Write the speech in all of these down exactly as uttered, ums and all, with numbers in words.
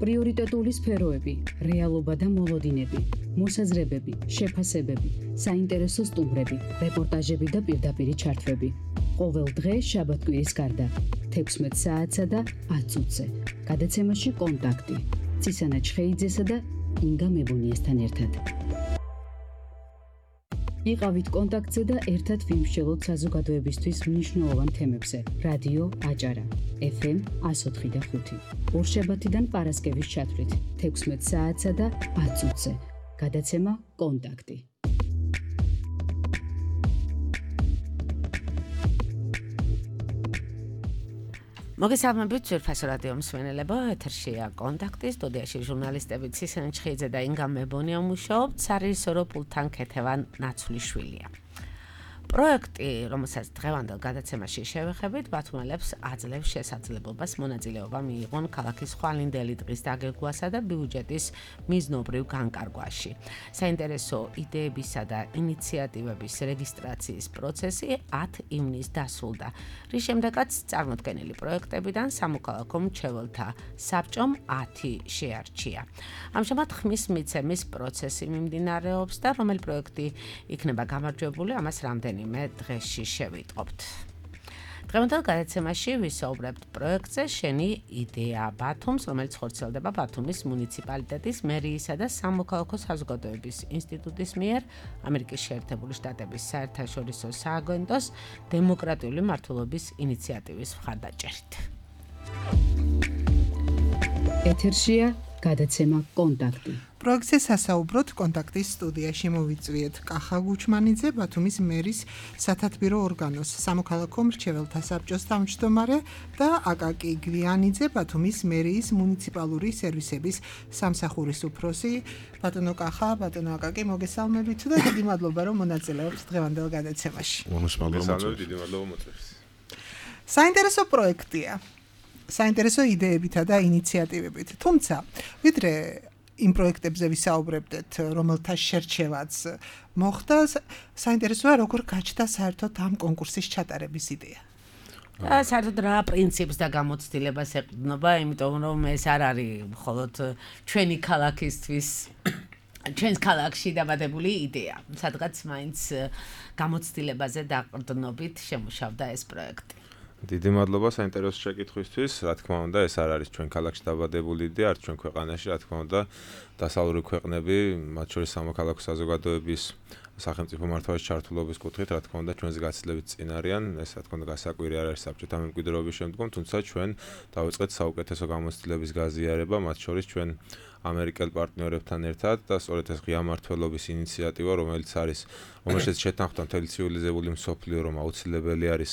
პრიორიტეტული სფეროები, რეალობა და მოლოდინები, მოსაზრებები, შეფასებები, საინტერესო სტუმრები, რეპორტაჟები და პირდაპირი ჩართვები. ყოველ დღე შაბათ-კვირის გარდა, თექვსმეტ საათსა და ათ წუთზე. გადაცემაში კონტაქტი. ცისანა ჩხეიძესა და ინგა მებონიესთან ერთად. იყავით კონტაქტზე და ერთად ვიმსჯელოთ საზოგადოებისთვის მნიშვნელოვან თემებზე. რადიო აჭარა, ეფ ემ εκατო ოთხი და ხუთი. ორშაბათიდან პარასკევის ჩათვლით, თექვსმეტ საათსა და ათ წუთზე. გადაცემა კონტაქტი. მოგესალმებით ძვირფასო რადიო მსმენელებო, ეთერშია კონტაქტი, სტუდიაში ჟურნალისტები ცისანა ჩხეიძე და ინგა მებონია მუშაობთ, სარეჟისორო პულტთან ქეთევან ნაცვლიშვილია. პროექტი, რომელსაც დღევანდელ გადაცემაში შევეხებით, ბათუმელებს აძლევს შესაძლებლობას მონაწილეობა მიიღონ ქალაქის ხვალინდელი დღის დაგეგმვასა და ბიუჯეტის მიზნობრივ განკარგვაში. საინტერესო იდეებისა და ინიციატივების რეგისტრაციის პროცესი ათ ივნისს დასრულდა, რის შემდეგაც წარმოდგენილი პროექტებიდან სამოქალაქო მრჩეველთა საბჭომ ათი შეარჩია. ამჟამად ხმის მიცემის პროცესი მიმდინარეობს და რომელი პროექტი იქნება გამარჯვებული, ამას რამდენი მე დღეში შევიტყობთ. დღევანდელ გადაცემაში ვისაუბრებთ პროექტზე შენი იდეა ბათუმს, რომელიც ხორციელდება ბათუმის მუნიციპალიტეტის მერიისა და სამოქალაქო საზოგადოების ინსტიტუტის მიერ ამერიკის შეერთებული შტატების საერთაშორისო სააგენტოს დემოკრატიული მმართველობის ინიციატივის მხარდაჭერით. ეთერშია გადაცემა კონტაქტი. პროექტზე სასაუბროთ კონტაქტის სტუდიაში მოვიწვიეთ კახა გუჩმანიძე, ბათუმის მერის სათათბირო ორგანოს სამოქალაქო მრჩეველთა საბჭოს თავმჯდომარე და აკაკი გვიანიძე, ბათუმის მერიის მუნიციპალური სერვისების სამსახურის უფროსი. ბატონო კახა, ბატონო აკაკი, მოგესალმებით და დიდი მადლობა რომ მონაწილეობთ დღევანდელ გადაცემაში. მოგესალმებით, დიდი მადლობა მოწვევს. საინტერესო პროექტია. საინტერესო იდეებითა და ინიციატივებით. თუმცა, ვიდრე იმ პროექტებზე ვისაუბრებდეთ, რომელთა შერჩევაც მოხდა, საინტერესოა როგორ გაჩნდა საერთოდ ამ კონკურსის ჩატარების იდეა. საერთოდ რა პრინციპს და გამოცდილებას ეყრდნობა, იმიტომ რომ ეს არ არის მხოლოდ ჩვენი ქალაქისთვის, ჩვენს ქალაქში დაბადებული იდეა. სადღაც მაინც გამოცდილებაზე დაყრდნობით შემუშავდა ეს პროექტი. დიდი მადლობა საინტერესო შეკითხვისთვის. რა თქმა უნდა, ეს არ არის ჩვენ ქალაქში დაბადებული იდეა, არც ჩვენ ქვეყანაში, რა თქმა უნდა, დასავლური ქვეყნები, მათ შორის სამოქალაქო საზოგადოების სახელმწიფო მმართველობის ჩართულობის კუთხით, რა თქმა უნდა, ჩვენს გაცილებით წინ არიან. ეს რა თქმა უნდა გასაკვირი არ არის საბჭოთა მემკვიდრეობის შემდგომ, თუმცა ჩვენ დავიწყეთ საუკეთესო გამოცდილების გაზიარება, მათ შორის ჩვენ ამერიკელ პარტნიორებთან ერთად და სწორედ ეს ღია მმართველობის ინიციატივა, რომელიც არის, რომელშიც შეთანხმდა მთელი ცივილიზებული მსოფლიო, რომ აუცილებელი არის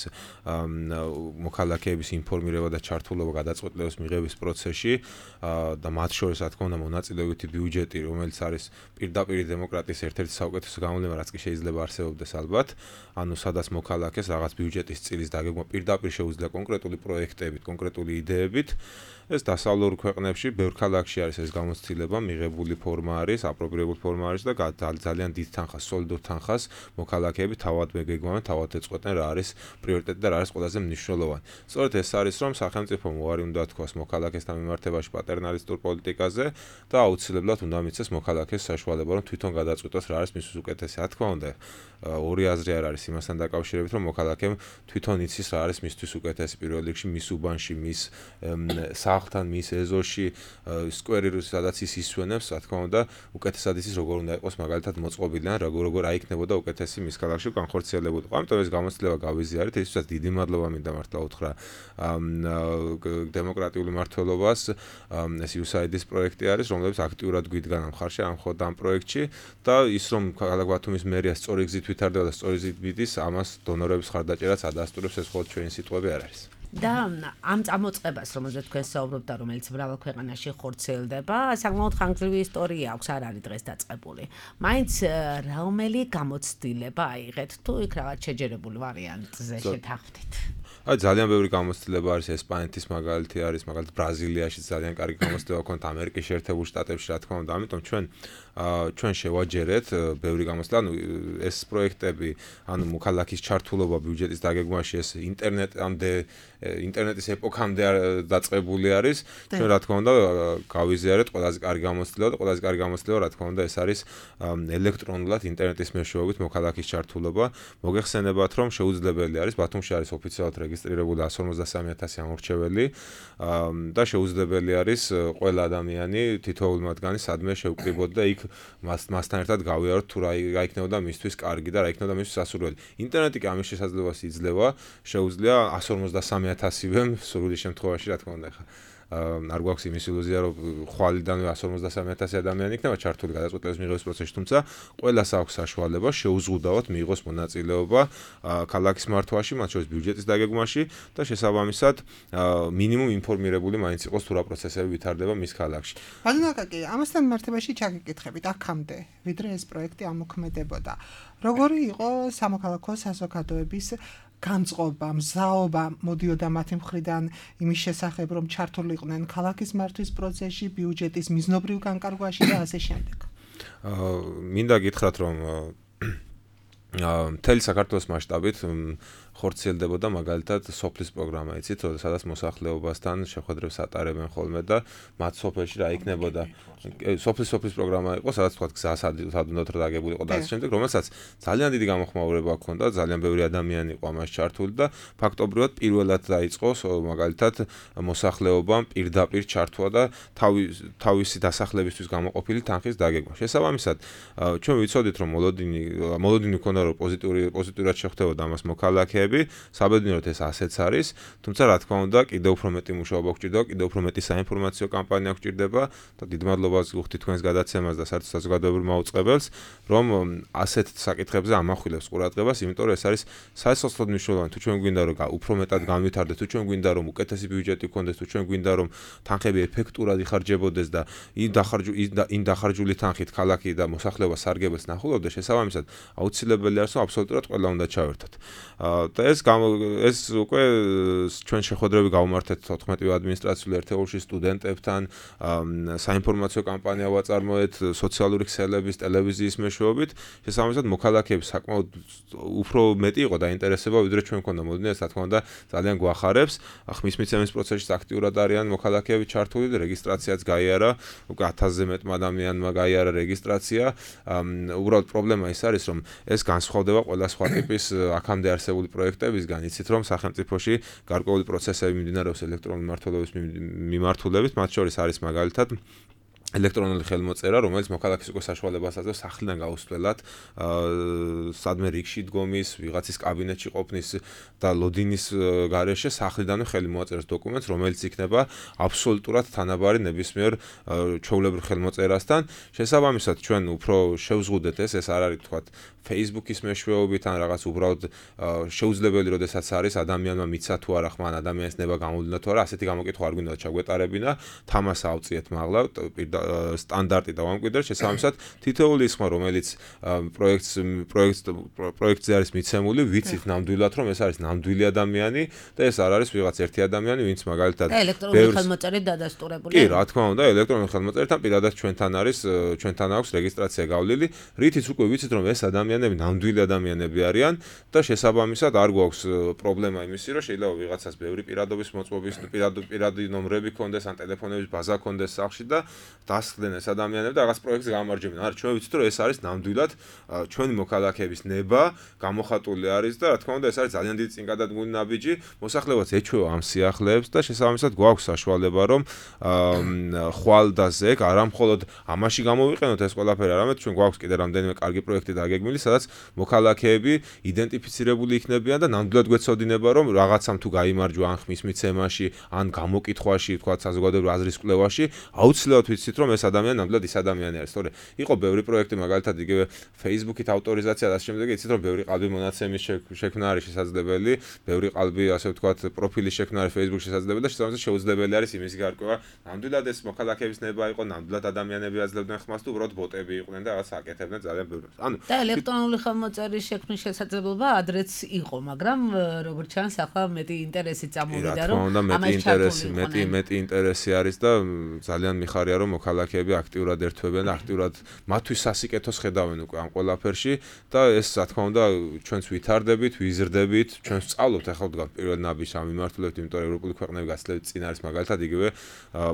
მოქალაქეების ინფორმირება და ჩართულობა გადაწყვეტილების მიღების პროცესში და მათ შორის, რა თქმა უნდა, მონაწილეობითი ბიუჯეტი, რომელიც არის პირდაპირ დემოკრატიის ერთ-ერთი საუკეთესო გამოვლენა, რაც კი შეიძლება არსებობდეს ალბათ, ანუ სადაც მოქალაქეს რაღაც ბიუჯეტის წილის დაგეგმვა პირდაპირ შეუძლია კონკრეტული პროექტებით, კონკრეტული იდეებით. ეს დასავლურ ქვეყნებში, ბევრ ქალაქში არის ეს გამოცდილება, მიღებული ფორმა არის, აპრობირებული ფორმა არის და ძალიან დიდ თანხას, სოლიდურ თანხას მოქალაქეები თავად მეგეგმავენ, თავად ეწყვეტენ რა არის პრიორიტეტი და რა არის ყველაზე მნიშვნელოვანი. სწორედ ეს არის, რომ სახელმწიფომ უარი უნდა თქვას მოქალაქესთან მიმართებაში პატერნალისტურ პოლიტიკაზე და აუცილებლად უნდა მიცეს მოქალაქეს საშუალება, რომ თვითონ გადაწყვიტოს რა არის მისთვის უკეთესი. რა თქმა უნდა, ორი აზრი არ არის იმასთან დაკავშირებით, რომ მოქალაქემ თვითონ იცის რა არის მისთვის უკეთესი პირველ რიგში მის უბანში, მის სახლთან, მის ეზოში, სკვერი, სადაც ის ისვენებს, რა თქმა უნდა, უკეთესად იცის როგორ უნდა იყოს მაგალითად მოწყობილი ან როგორ როგორ აიქნებოდა უკეთესი მის ქალაქში განხორციელებოდა. ამიტომ ეს გამოცდილება გავიზიარეთ, ისიც დიდი მადლობა მინდა მართლა უთხრა დემოკრატიული მმართველობას. ეს იუ ეს აი დი-ის პროექტი არის, რომელიც აქტიურად გვიდგა ამ მხარში, ამ ხოთ ამ პროექტში და ის რომ ქალაქ ბათუმის მერია სწორი გზით ვითარდება და სწორი გზით მიდის, ამას დონორების მხარდაჭერაც ადასტურებს, ეს მხოლოდ ჩვენი სიტყვები არ არის. და ამ წამოწყებას, რომელზეც თქვენ საუბრობთ და რომელიც მრავალ ქვეყანაში ხორციელდება, საკმაოდ ხანგრძლივი ისტორია აქვს, არ არის დღეს დაწყებული. მაინც რომელი გამოცდილება აიღეთ თუ იქ რაღაც შეჯერებული ვარიანტზე შეთანხმდით? აი ძალიან ბევრი გამოცდილება არის ესპანეთის მაგალითი არის, მაგალითად ბრაზილიაში ძალიან კარგი გამოცდილება ქონდა, ამერიკის შეერთებულ შტატებში რა თქმა უნდა, ამიტომ ჩვენ ჩვენ შევაჯერეთ ბევრი გამოცდილება, ანუ ეს პროექტები, ანუ მოქალაქის ჩართულობა ბიუჯეტის დაგეგმვაში ეს ინტერნეტამდე ინტერნეტის ეპოქამდე დაწყებული არის. ჩვენ რა თქმა უნდა გავიზიარეთ ყველაზე კარგი გამოცდილება და ყველაზე კარგი გამოცდილება რა თქმა უნდა ეს არის ელექტრონულად ინტერნეტის მეშვეობით მოქალაქის ჩართულობა. მოგეხსენებათ რომ შეუძლებელი არის ბათუმში არის ოფიციალურად რეგისტრირებული εκατს ორმოცდასამი ათასი ამორჩეველი და შეუძლებელი არის ყველა ადამიანი თითოეული მათგანი სადმე შევკრიბოთ და იქ მასთან ერთად გავიაროთ თუ რა იქნებოდა მისთვის კარგი და რა იქნებოდა მისთვის სასურველი. ინტერნეტი კი ამის შესაძლებლობას იძლევა, შეუძლია εκατს ორმოცდასამი ათასივე სრული შემთხვევაში რა თქმა უნდა ხა არ გვაქვს იმის ილუზია რომ ხვალიდანვე εκατს ორმოცდასამი ათასი ადამიანი იქნება ჩართული გადაწყვეტილების მიღების პროცესში, თუმცა ყველას აქვს საშუალება შეუზღუდავად მიიღოს მონაწილეობა ქალაქის მართვაში, მათ შორის ბიუჯეტის დაგეგმვაში და შესაბამისად მინიმუმ ინფორმირებული მაინც იყოს თუ რა პროცესები ვითარდება მის ქალაქში. ბაზონაკაკი, ამასთან მიმართებაში ჩაგეკითხებით აქამდე, ვიდრე ეს პროექტი ამოქმედებოდა. როგორი იყო სამოქალაქო საზოგადოების განწყობა, მზაობა მოდიოდა მათი მხრიდან იმის შესახებ, რომ ჩართულიყვნენ ქალაქის მართვის პროცესში, ბიუჯეტის მიზნობრივ განკარგვაში და ასე შემდეგ. მინდა გითხრათ, რომ მთელი საქართველოს მასშტაბით ხორციელდებოდა მაგალითად სოფლის პროგრამა, იცით, სადაც მოსახლეობასთან შეხვედრებს ატარებენ ხოლმე და მათ სოფელში რა იქნებოდა სოფლის სოფლის პროგრამა იყო, სადაც თქვა გზასად უნდა დაგებული იყო და ასე შემდეგ, რომელსაც ძალიან დიდი გამოხმაურება ჰქონდა, ძალიან ბევრი ადამიანი იყო ამაში ჩართული და ფაქტობრივად პირველად დაიწყო მაგალითად მოსახლეობამ პირდაპირ ჩართვა და თავისი დასახლებისთვის გამოყოფილი თანხის დაგეგმა. შესაბამისად, ჩვენ ვიცოდით, რომ მოლოდინი მოლოდინი ჰქონდა, რომ პოზიტიური პოზიტიურად შეხვდებოდა ამას მოქალაქეები. საბედნიეროდ ეს ასეც არის, თუმცა რა თქმა უნდა, კიდევ უფრო მეტი მუშაობა გვჭირდება, კიდევ უფრო მეტი საინფორმაციო კამპანია გვჭირდება და დიდ მადლობას ვუხდით თქვენს გადაცემას და საერთოდ საზოგადოებრივ მაუწყებელს, რომ ასეთ საკითხებზე ამახვილებს ყურადღებას, იმიტომ რომ ეს არის საერთოდ მნიშვნელოვანი. თუ ჩვენ გვინდა რომ უფრო მეტად განვითარდეს, თუ ჩვენ გვინდა რომ უკეთესი ბიუჯეტი გქონდეს, თუ ჩვენ გვინდა რომ თანხები ეფექტურად იხარჯებოდეს და იმ დახარჯული იმ დახარჯული თანხით ქალაქი და მოსახლეობა სარგებელს ნახულობდეს, შესაბამისად აუცილებელი არის რომ აბსოლუტურად ყველა უნდა ჩავერთოთ. და ეს ეს უკვე ჩვენ შეხვედრები გავუმართეთ თოთხმეტივე ადმინისტრაციული ერთეულში სტუდენტებთან, საინფორმაციო კამპანია ვაწარმოეთ სოციალური ქსელების, ტელევიზიის მეშვეობით, შესაბამისად მოქალაქეები საკმაოდ უფრო მეტი იყო დაინტერესება, ვიდრე ჩვენ მქონდა მოდინა, ეს რა თქმა უნდა ძალიან გვახარებს. ხმის მიცემის პროცესში აქტიურად არიან მოქალაქეები ჩართული და რეგისტრაციაც გაიარა, უკვე ათასზე მეტმა ადამიანმა გაიარა რეგისტრაცია. უბრალოდ პრობლემა ის არის, რომ ეს განსხვავდება ყველა სხვა ტიპის აქამდე არსებული პროექტებისგან, იცით რომ სახელმწიფოში გარკვეული პროცესები მიმდინარეობს ელექტრონული მმართველობის მიმართულებით, მათ შორის არის მაგალითად ელექტრონული ხელმოწერა, რომელიც მოქალაქეს უკვე საშუალებას აძლევს სახლიდან გაუსვლელად, სადმე რიგში დგომის, ვიღაცის კაბინეტში ყოფნის და ლოდინის გარეშე სახლიდანვე ხელი მოაწეროს დოკუმენტს, რომელიც იქნება აბსოლუტურად თანაბარი ნებისმიერ ჩვეულებრივ ხელმოწერასთან. შესაბამისად, ჩვენ უფრო შევზღუდეთ ეს, ეს არ არის თქვათ Facebook-ის მეშვეობით ან რაღაც უბრალოდ შეუძლებელი, როდესაც არის ადამიანმა მიცა თუ არა ხმან ადამიანის ნება გამოვლინდა თუ არა, ასეთი გამოკითხვა არ გვინდა ჩაგვეტარებინა, თამას ავწიეთ მაღლა სტანდარტი და ვამკვიდრეთ, შესაბამისად თითოეული ის ხმა, რომელიც პროექტს პროექტს პროექტზე არის მიცემული, ვიცით ნამდვილად, რომ ეს არის ნამდვილი ადამიანი და ეს არ არის ვიღაც ერთი ადამიანი, ვინც მაგალითად ელექტრონული ხელმოწერით დადასტურებული. კი, რა თქმა უნდა, ელექტრონული ხელმოწერთან პირადად ჩვენთან არის, ჩვენთან აქვს რეგისტრაცია გავლილი, რითიც უკვე ვიცით, რომ ეს ადამიანები ნამდვილი ადამიანები არიან და შესაბამისად არ გვაქვს პრობლემა იმისი, რომ შეიძლება ვიღაცას ბევრი პირადობის მოწყობის, პირადი ნომრები ქონდეს ან ტელეფონების ბაზა ქონდეს სახლში და დასხდნენ ეს ადამიანები და რაღაც პროექტს გამარჯვებენ. არა, ჩვენ ვიცით, რომ ეს არის ნამდვილად ჩვენი მოქალაქეების ნება, გამოხატული არის და რა თქმა უნდა, ეს არის ძალიან დიდი წინგადადგმული ნაბიჯი, მოსახლეობაც ეჩვევა ამ სიახლეებს და შესაბამისად გვაქვს საშუალება, რომ ხვალ და ზეგ არა მხოლოდ ამაში გამოვიყენოთ ეს ყველაფერი, არამედ ჩვენ გვაქვს კიდე რამდენიმე კარგი პროექტი დაგეგმილი, სადაც მოქალაქეები იდენტიფიცირებული იქნებიან და ნამდვილად გვეცოდინება, რომ რაღაცამ თუ გაიმარჯვა ან ხმის მიცემაში, ან გამოკითხვაში, თქვა საზოგადოებრივ აზრის კვლევაში, აუცილებლად ვიცით, რომ ეს ადამიანი ნამდვილად ის ადამიანი არის. თორე იყო ბევრი პროექტი, მაგალითად იგივე Facebook-ით ავტორიზაცია და ამ შემდეგ იცით, რომ ბევრი ყალბი მონაცემის შექმნა არის შესაძლებელი, ბევრი ყალბი, ასე ვთქვათ, პროფილის შექმნა არის Facebook-ში შესაძლებელი და შესაბამისად შეუძლებელი არის იმის გარკვევა. ნამდვილად ეს მოქალაქეების ნება იყო, ნამდვილად ადამიანები აძლევდნენ ხმას თუ უბრალოდ ბოტები იყვნენ და რაღაც აკეთებდნენ ძალიან ბევრს. ანუ და ელექტრონული ხელმოწერის შექმნის შესაძლებლობა ადრეც იყო, მაგრამ როგორც ჩანს, ახლა მეტი ინტერესი წამოვიდა, რომ ამას ინტერესი, მეტი მეტი ინტერესი არის და ძალიან მიხარია, რომ მოქალაქეები აქტიურად ერთვებიან და აქტიურად მათთვის სასიკეთოს ხედავენ უკვე ამ ყველაფერში და ეს რა თქმა უნდა ჩვენც ვითარდებით, ვიზრდებით, ჩვენც სწავლობთ ახლა დგავ პირველ ნაბიჯს ამ მიმართულებით, იმიტომ რომ ევროპული ქვეყნები გასძლევთ წინ არის მაგალითად იგივე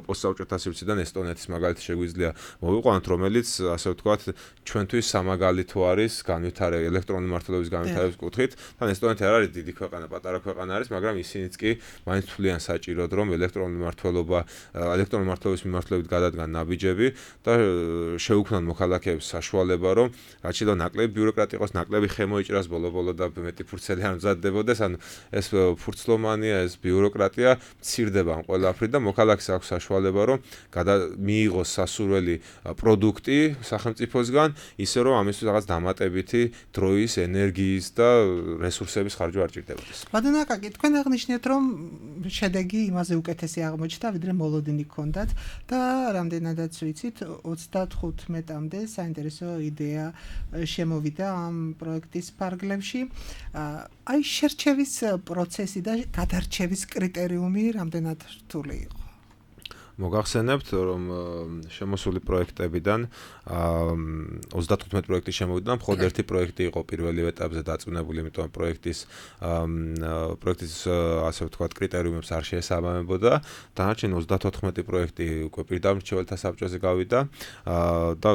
პოსტსაბჭოთა სივრციდან ესტონეთის მაგალითი შეგვიძლია მოვიყვანოთ, რომელიც ასე ვთქვათ, ჩვენთვის სამაგალითო არის განვითარების ელექტრონული მმართველობის განვითარების კუთხით. თან ესტონეთი არ არის დიდი ქვეყანა, პატარა ქვეყანა არის, მაგრამ ისინიც კი მაინც თვლიან საჭიროდ, რომ ელექტრონული მმართველობა, ელექტრონული მმართველობის მიმართულებით გადადგან ნაბიჯები და შეუქმნან მოქალაქეებს საშუალება, რომ რაც შეიძლება ნაკლები ბიუროკრატია იყოს, ნაკლები ხემო იჭრას ბოლო-ბოლო და მეტი ფურცელი არ მზადდებოდეს, ანუ ეს ფურცლომანია, ეს ბიუროკრატია მცირდება ამ ყველაფრით და მოქალაქეს აქვს საშუალება, რომ მიიღოს სასურველი პროდუქტი სახელმწიფოსგან, ისე რომ ამისთვის რაღაც დამატებითი დროის, ენერგიის და რესურსების ხარჯვა არ ჭირდებოდეს. ბატონო აკაკი, თქვენ აღნიშნეთ, რომ შედეგი იმაზე უკეთესი აღმოჩნდა, ვიდრე მოლოდინი ჰქონდათ და რამდენადაც ვიცით, ოცდათხუთმეტამდე საინტერესო იდეა შემოვიდა ამ პროექტის ფარგლებში. აი შერჩევის პროცესი და გადარჩევის კრიტერიუმი რამდენად რთული იყო? მოგახსენებთ, რომ შემოსული პროექტებიდან ოცდათხუთმეტ პროექტი შემოვიდა, მხოლოდ ერთი პროექტი იყო პირველი ეტაპზე დაწვნებული, იმიტომ პროექტის პროექტის ასე ვთქვათ, კრიტერიუმებს არ შეესაბამებოდა. დანარჩენი ოცდათოთხმეტი პროექტი უკვე პირდაპირ მრჩეველთა საბჭოზე გავიდა და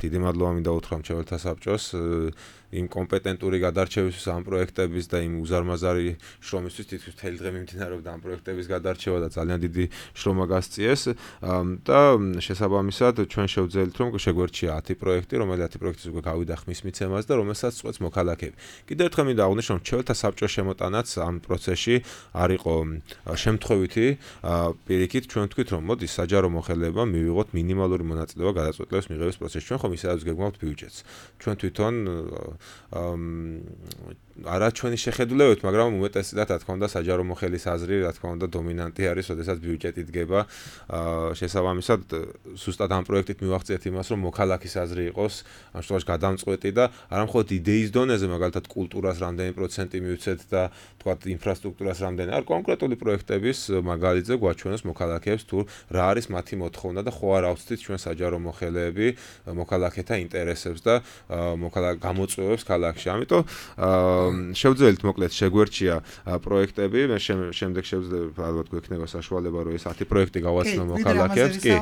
დიდი მადლობა მინდა უთხრა მრჩეველთა საბჭოს იმ კომპეტენტური გადარჩევისთვის ამ პროექტების და იმ უზარმაზარი შრომისთვის თითქმის მთელი დღე მიმდინარეობდა ამ პროექტების გადარჩევა და ძალიან დიდი შრომა გასწიეს და შესაბამისად ჩვენ შევძელით რომ შეგვერჩია ათი პროექტი, რომელიც ათი პროექტის უკვე გავიდა ხმის მიცემას და რომელსაც წყვეტს მოქალაქეები. კიდევ ერთხელ მინდა აღვნიშნო, რომ მრჩეველთა საბჭოს შემოტანაც ამ პროცესში არ იყო შემთხვევითი, პირიქით ჩვენ ვთქვით, რომ მოდი საჯარო მოხელეებმა მივიღოთ მინიმალური მონაწილეობა გადაწყვეტილების მიღების პროცესში. ჩვენ ხომ ისედაც გეგმავთ ბიუჯეტს. ჩვენ თვითონ არა ჩვენი შეხედულებებით, მაგრამ უმეტესად რა თქმა უნდა საჯარო მოხელის აზრი, რა თქმა უნდა დომინანტი არის, როდესაც ბიუჯეტი დგება. შესაბამისად, ზუსტად ამ პროექტით მივახციეთ იმას, რომ მოქალაქის აზრი იყოს, ამ შემთხვევაში გადამწყვეტი და არა მხოლოდ იდეის დონეზე, მაგალითად კულტურას რამდენი პროცენტი მივცეთ და თქვათ ინფრასტრუქტურას რამდენი, არ კონკრეტული პროექტების მაგალითზე გვაჩვენოს მოქალაქეებს თუ რა არის მათი მოთხოვნა და ხო არ ავწდით ჩვენ საჯარო მოხელეები მოქალაქეთა ინტერესებს და მოქალაქე გამოწვევებს ქალაქში. ამიტომ შევძელით მოკლედ შეგვერჩია პროექტები, მე შემდეგ შევძლებთ ალბათ გვექნება საშუალება რომ ეს ათი პროექტი გავაცნო მოქალაქეებს, კი.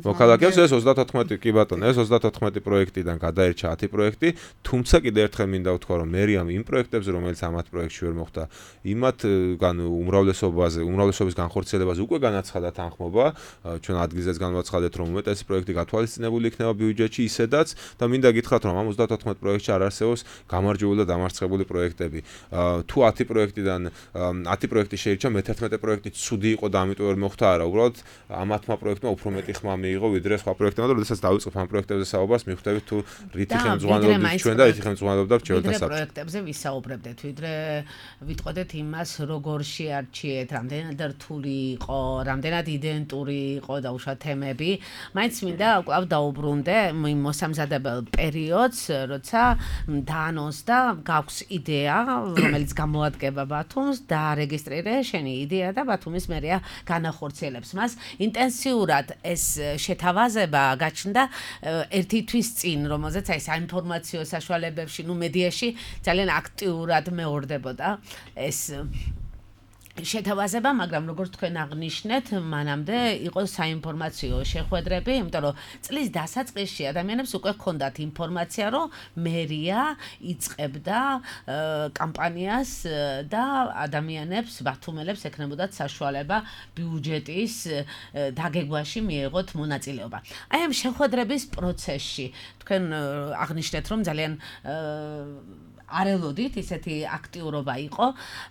მოქალაქეებს ეს ოცდათოთხმეტი კი ბატონო, ეს ოცდათოთხმეტი პროექტიდან გადაერჩა ათი პროექტი, თუმცა კიდევ ერთხელ მინდა ვთქვა რომ მერიამ იმ პროექტებზე რომელიც ამ ათ პროექტში ვერ მოხდა, იმათგან უმრავლესობაზე, უმრავლესობის განხორციელებაზე უკვე განაცხადა თანხმობა, ჩვენ ადგილზეც განვაცხადეთ რომ უმეტესი პროექტი გათვალისწინებული იქნება ბიუჯეტში ისედაც და მინდა გითხრათ რომ ამ ოცდათოთხმეტ პროექტში არ არსებობს გამარჯვებული და დამარცხებული პროექტები. თუ ათი პროექტიდან ათი პროექტი შეირჩა, მეთერთმეტე პროექტი ცუდი იყო და ამიტომ ვერ მოხდა არა, უბრალოდ ამ ათმა პროექტმა უფრო მეტი ხმა მიიღო ვიდრე სხვა პროექტებმა და როდესაც დავიწყებ ამ პროექტებზე საუბარს, მივხვდებით თუ რითი ხელმძღვანელობდით ჩვენ და რითი ხელმძღვანელობდა მრჩეველთა საბჭო. პროექტებზე ვისაუბრებდეთ, ვიდრე ვიტყოდეთ იმას, როგორ შეარჩიეთ, რამდენად რთული იყო, რამდენად იდენტური იყო და უშუალოდ თემები. მაინც მინდა კვლავ დაუბრუნდე იმ მოსამზადებელ პერიოდს, როცა დაანონს და გაქვს იდეა, რომელიც გამოადგება ბათუმს და რეგისტრირე შენი იდეა და ბათუმის მერია განახორციელებს მას. ინტენსიურად ეს შეთავაზება გაჩნდა ერთი თვის წინ, რომელზეც აი საინფორმაციო საშუალებებში, ნუ მედიაში ძალიან აქტიურად მეორდებოდა ეს შეთავაზება, მაგრამ როგორც თქვენ აღნიშნეთ, მანამდე იყო საინფორმაციო შეხვედრები, იმიტომ რომ წლის დასაწყისში ადამიანებს უკვე ჰქონდათ ინფორმაცია, რომ მერია იწყებდა კამპანიას და ადამიანებს, ბათუმელებს ექნებოდათ საშუალება ბიუჯეტის დაგეგმვაში მიეღოთ მონაწილეობა. აი ამ შეხვედრების პროცესში თქვენ აღნიშნეთ, რომ ძალიან არ ელოდით, ისეთი აქტიურობა იყო.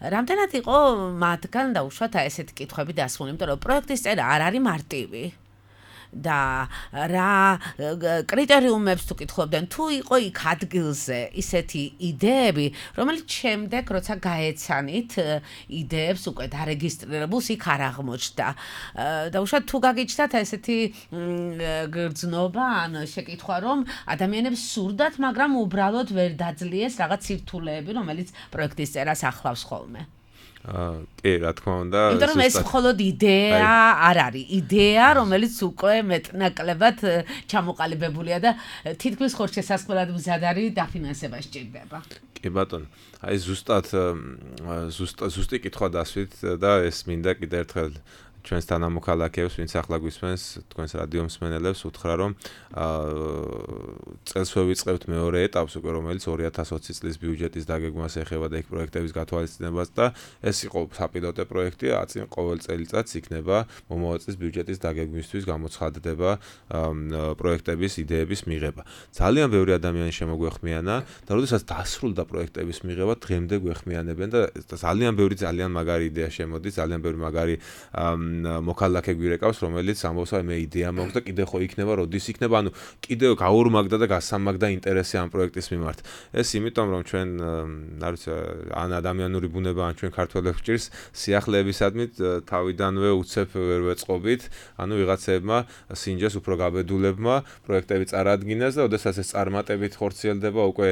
რამდენად იყო მათგან დაუშვათ ესეთი კითხვები დასმული, იმიტომ რომ პროექტის წერა არ არის მარტივი. და რა კრიტერიუმებს თუ კითხულობდნენ, თუ იყო იქ ადგილზე ისეთი იდეები, რომელიც შემდეგ როცა გაეცანით იდეებს უკვე დარეგისტრირებულს იქ არ აღმოჩნდა. და უშუალოდ თუ გაგიჩნდათ ესეთი გრძნობა ან შეკითხვა, რომ ადამიანებს სურდათ, მაგრამ უბრალოდ ვერ დაძლიეს რაღაც სირთულეები, რომელიც პროექტის წერას ახლავს ხოლმე. აა კი, რა თქმა უნდა. იმიტომ რომ ეს მხოლოდ იდეა არ არის. იდეა, რომელიც უკვე მეტნაკლებად ჩამოყალიბებულია და თითქმის ხორცშესასყმელად მზად არის დაფინანსება სჭირდება. კი ბატონო. აი ზუსტად ზუსტად ზუსტი კითხვა დასვით და ეს მინდა კიდევ ერთხელ ჩვენს თანამოქალაქეებს, ვინც ახლა გვისმენს, თქვენს რადიო მსმენელებს უთხრა, რომ წელს ვევიწყებთ მეორე ეტაპს უკვე, რომელიც ორი ათას ოცი წლის ბიუჯეტის დაგეგმვას ეხება და იქ პროექტების გათვალისწინებას და ეს იყო საპილოტო პროექტი, აწინ ყოველ წელიწადს იქნება მომავალ წლის ბიუჯეტის დაგეგმვისთვის გამოცხადდება პროექტების იდეების მიღება. ძალიან ბევრი ადამიანი შემოგვეხმიანა და როდესაც დასრულდა პროექტების მიღება, დღემდე გვეხმიანებენ და ძალიან ბევრი ძალიან მაგარი იდეა შემოდის, ძალიან ბევრი მაგარი მოქალაქე გვირეკავს, რომელიც ამბობს, აი მე იდეა მაქვს და კიდე ხო იქნება, როდის იქნება, ანუ კიდევ გაურმაგდა და გასამაგდა ინტერესი ამ პროექტის მიმართ. ეს იმიტომ, რომ ჩვენ, არ ვიცი, ან ადამიანური ბუნება, ან ჩვენ ქართველებს ჭირს სიახლეებისადმი თავიდანვე უცებ ვერ ვეწყობით, ანუ ვიღაცებმა სინჯეს უფრო გაბედულებმა პროექტები წარადგინეს და ოდესაც ეს წარმატებით ხორციელდება, უკვე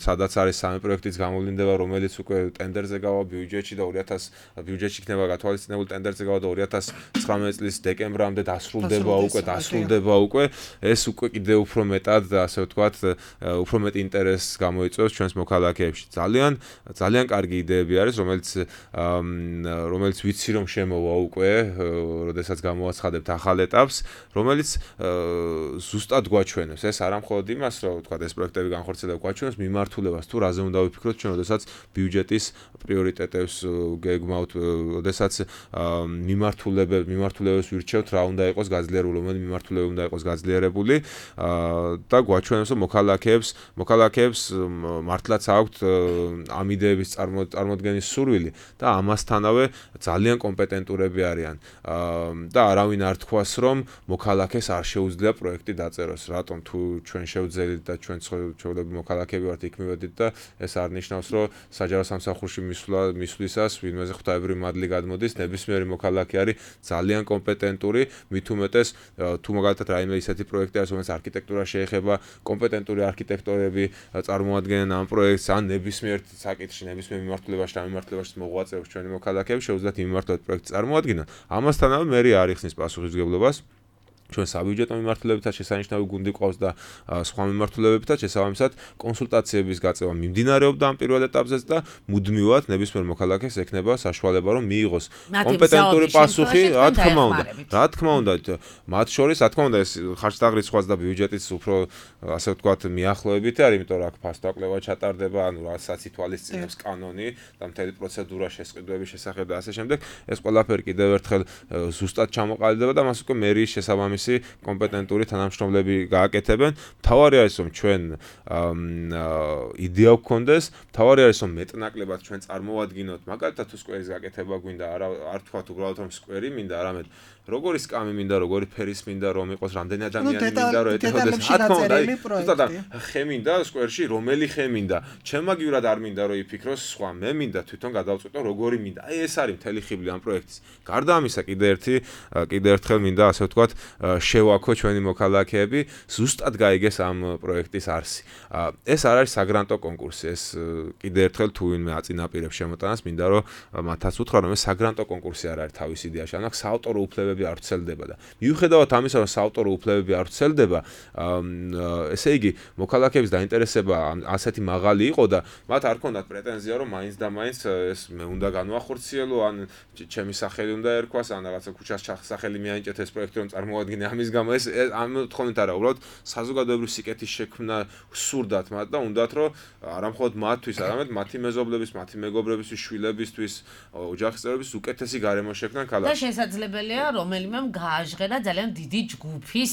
სადაც არის სამი პროექტიც გამოვლინდება, რომელიც უკვე ტენდერზე გავა ბიუჯეტში და ორი ათას ბიუჯეტში იქნება გათვალისწინებული ტენდერზე გავა და ორი ათას ცხრამეტ წლის დეკემბრამდე დასრულდება უკვე დასრულდება უკვე ეს უკვე კიდევ უფრო მეტად და ასე ვთქვათ უფრო მეტ ინტერესს გამოიწვევს ჩვენს მოქალაქეებში. ძალიან ძალიან კარგი იდეები არის, რომელიც რომელიც ვიცი რომ შემოვა უკვე, როდესაც გამოაცხადებთ ახალ ეტაპს, რომელიც ზუსტად გვაჩვენებს. ეს არა მხოლოდ იმას, რომ ვთქვათ ეს პროექტები განხორციელება გვაჩვენებს მიმართულებას, თუ რაზე უნდა ვიფიქროთ ჩვენ, როდესაც ბიუჯეტის პრიორიტეტებს გეგმავთ, როდესაც მიმართულებებს მიმართულებებს ვირჩევთ, რა უნდა იყოს გაძლიერებული, რომელი მიმართულება უნდა იყოს გაძლიერებული და გვაჩვენებს, რომ მოქალაქეებს მოქალაქეებს მართლაც აქვთ ამ იდეების წარმოდგენის სურვილი და ამასთანავე ძალიან კომპეტენტურები არიან და არავინ არ თქვას, რომ მოქალაქეს არ შეუძლია პროექტი დაწეროს. რატომ თუ ჩვენ შევძელით და ჩვენ ჩვეულებრივი მოქალაქეები ვართ, იქ მივედით და ეს არ ნიშნავს, რომ საჯარო სამსახურში მისვლა მისვლისას ვინმეზე ღვთაებრივი მადლი გადმოდის, ნებისმიერი მოქალაქე არის ძალიან კომპეტენტური, მით უმეტეს თუ მაგალითად რაიმე ისეთი პროექტი არის, რომელიც არქიტექტურა შეეხება, კომპეტენტური არქიტექტორები წარმოადგენენ ამ პროექტს, ან ნებისმიერ საკითხში, ნებისმიერ მიმართულებაში და მიმართულებაში მოღვაწეობს ჩვენი მოქალაქეები, შეუძლიათ მიმართულად პროექტს წარმოადგინონ. ამასთანავე მერი არ იხსნის პასუხისმგებლობას ჩვენ საბიუჯეტო მიმართულებებთან შესანიშნავი გუნდი ყავს და სხვა მიმართულებებთან შესაბამისად კონსულტაციების გაწევა მიმდინარეობდა ამ პირველ ეტაპზეც და მუდმივად ნებისმიერ მოქალაქეს ექნება საშუალება რომ მიიღოს კომპეტენტური პასუხი, რა თქმა უნდა. რა თქმა უნდა, მათ შორის, რა თქმა უნდა, ეს ხარჯთაღრიცხვას და ბიუჯეტის უფრო ასე ვთქვათ მიახლოებით არის, იმიტომ რომ აქ ფასტო კვლევა ჩატარდება, ანუ რასაც ითვალისწინებს კანონი და მთელი პროცედურა შესყიდვების შესახებ და ასე შემდეგ. ეს ყველაფერი კიდევ ერთხელ ზუსტად ჩამოყალიბდება და მას უკვე მერიის შესაბამისად კომპეტენტური თანამშრომლები გააკეთებენ. მთავარი არის რომ ჩვენ იდეა გვქონდეს, მთავარი არის რომ მეტნაკლებად ჩვენ წარმოვადგინოთ, მაგალითად თუ სკვერის გაკეთება გვინდა, არ თქვათ უბრალოდ რომ სკვერი მინდა, არამედ როგორი სკამი მინდა, როგორი ფერის მინდა, რომ იყოს რამდენი ადამიანი მინდა, რომ ეთქოდეს, რა თქმა უნდა, ზუსტად ხე მინდა სკვერში, რომელი ხე მინდა, ჩემაგივრად არ მინდა რომ იფიქროს სხვა, მე მინდა თვითონ გადავწყვიტო როგორი მინდა. აი ეს არის მთელი ხიბლი ამ პროექტის. გარდა ამისა, კიდე ერთი კიდე ერთხელ მინდა ასე ვთქვათ შევაქო ჩვენი მოქალაქეები, ზუსტად გაიგეს ამ პროექტის არსი. ეს არ არის საგრანტო კონკურსი, ეს კიდე ერთხელ თუ ვინმე აწინაპირებს შემოტანას, მინდა რომ მათაც უთხრა, რომ ეს საგრანტო კონკურსი არ არის თავის იდეაში, ანუ საავტორო უფლებები არ ვრცელდება და მიუხედავად ამისა, რომ საავტორო უფლებები არ ვრცელდება, ესე იგი მოქალაქეების დაინტერესება ასეთი მაღალი იყო და მათ არ ქონდათ პრეტენზია, რომ მაინც და მაინც ეს მე უნდა განვახორციელო, ან ჩემი სახელი უნდა ერქვას, ან რაღაცა ქუჩას სახელი მიანიჭეთ ეს პროექტი რომ წარმოვადგინე ამის გამო. ეს ამ თხოვნით არა, უბრალოდ საზოგადოებრივი სიკეთის შექმნა სურდათ მათ და უნდათ რომ არა მხოლოდ მათთვის, არამედ მათი მეზობლების, მათი მეგობრებისთვის, შვილებისთვის, ოჯახის წევრების უკეთესი გარემო შექმნან ქალაქში. და შესაძლებელია რომ რომელიმემ გააჟღერა ძალიან დიდი ჯგუფის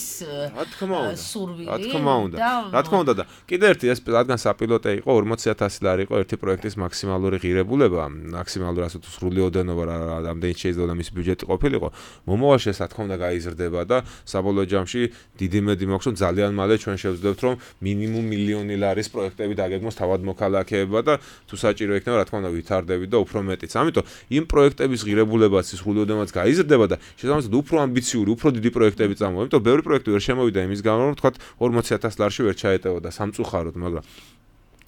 სურვილი. რა თქმა უნდა. რა თქმა უნდა და კიდე ერთი ეს რადგან საპილოტე იყო ორმოცი ათასი ლარი იყო ერთი პროექტის მაქსიმალური ღირებულება, მაქსიმალური ასე თუ სრული ოდენობა რამდენი შეიძლება მის ბიუჯეტი ყოფილიყო. მომავალში ეს რა თქმა უნდა გაიზრდება და საბოლოო ჯამში დიდი მედი მაქვს რომ ძალიან მალე ჩვენ შევძლებთ რომ მინიმუმ მილიონი ლარის პროექტები დაგეგმოს თავად მოქალაქეებმა და თუ საჭირო იქნება რა თქმა უნდა ვითარდებით და უფრო მეტიც. ამიტომ იმ პროექტების ღირებულებაც სრული ოდენობაც გაიზრდება და შესაბამისად უფრო ამბიციური, უფრო დიდი პროექტები წამოვა. ამიტომ ბევრი პროექტი ვერ შემოვიდა იმის გამო რომ თქვა ორმოცი ათასი ლარში ვერ ჩაეტევოდა სამწუხაროდ, მაგრამ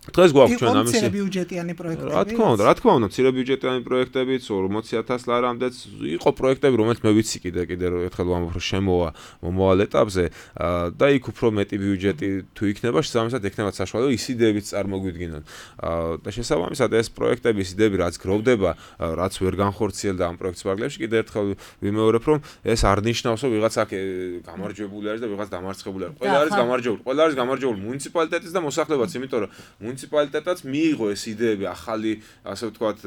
დღეს გვაქვს ჩვენ ამისი მცირე ბიუჯეტიანი პროექტები. რა თქმა უნდა, რა თქმა უნდა, მცირე ბიუჯეტიანი პროექტებიც ორმოცი ათასი ლარამდეც იყო პროექტები, რომელიც მე ვიცი კიდე კიდე ერთხელ ვამბობ რომ შემოვა მომავალ ეტაპზე და იქ უფრო მეტი ბიუჯეტი თუ იქნება, შესაბამისად ექნება საშუალება ის იდეებიც წარმოგვიდგინონ. და შესაბამისად ეს პროექტები, ის იდეები რაც გროვდება, რაც ვერ განხორციელდა ამ პროექტის პარალელში, კიდე ერთხელ ვიმეორებ რომ ეს არ ნიშნავს რომ ვიღაც აქ გამარჯვებული არის და ვიღაც დამარცხებული არის. ყველა არის გამარჯვებული, ყველა არის გამარჯვებული მუნიციპალიტეტიც და მოსახლებაც, იმიტომ რომ მუნიციპალიტეტად მიიღო ეს იდეები ახალი, ასე ვთქვათ,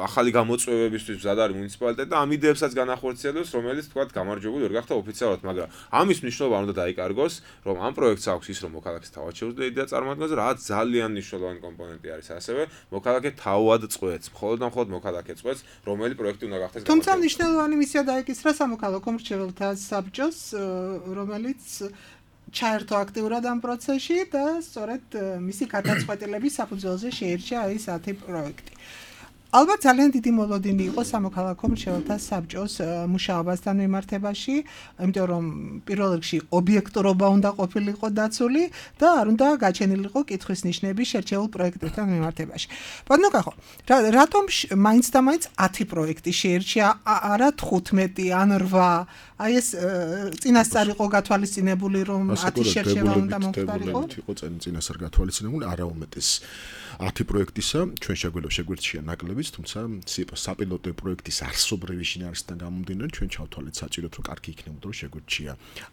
ახალი გამოწვევებისთვის მზად არის მუნიციპალიტეტი და ამ იდეებსაც განახორციელებს, რომელიც ვთქვათ, გამარჯვებული ვერ გახდა ოფიციალურად, მაგრამ ამის მნიშვნელობა არ უნდა დაიკარგოს, რომ ამ პროექტს აქვს ის, რომ მოქალაქეს თავად შეუძლია იდეა წარმოადგენს, რაც ძალიან მნიშვნელოვანი კომპონენტი არის ასევე, მოქალაქე თავად წყვეტს, მხოლოდ და მხოლოდ მოქალაქე წყვეტს, რომელი პროექტი უნდა გახდეს გამარჯვებული. თუმცა მნიშვნელოვანი მისია დაეკისრა სამოქალაქო მრჩეველთა საბჭოს, რომელიც ჩაერთო აქტიურად ამ პროცესში და სწორედ მისი გადაწყვეტილების საფუძველზე შეირჩა ეს ათი პროექტი. ალბათ ძალიან დიდი მოლოდინი იყო სამოქალაქო მრჩეველთა საბჭოს მუშაობასთან მიმართებაში, იმიტომ რომ პირველ რიგში ობიექტურობა უნდა ყოფილიყო დაცული და არ უნდა გაჩენილიყო კითხვის ნიშნები შერჩეულ პროექტებთან მიმართებაში. ბატონო კახო, რატომ მაინც და მაინც ათი პროექტი შეირჩა, არა თხუთმეტი ან რვა? აი ეს წინასწარ იყო გათვალისწინებული რომ ათი შერჩევა უნდა მომხდარიყო? იყო წინასწარ გათვალისწინებული, არა უმეტეს ათი პროექტისა, ჩვენ შეგვიძლია შეგვირჩია ნაკლებიც, თუმცა საპილოტო პროექტის არსობრივი შინაარსიდან გამომდინარე, ჩვენ ჩავთვალეთ საჭიროდ, რომ კარგი იქნებოდა, რომ შეგვირჩია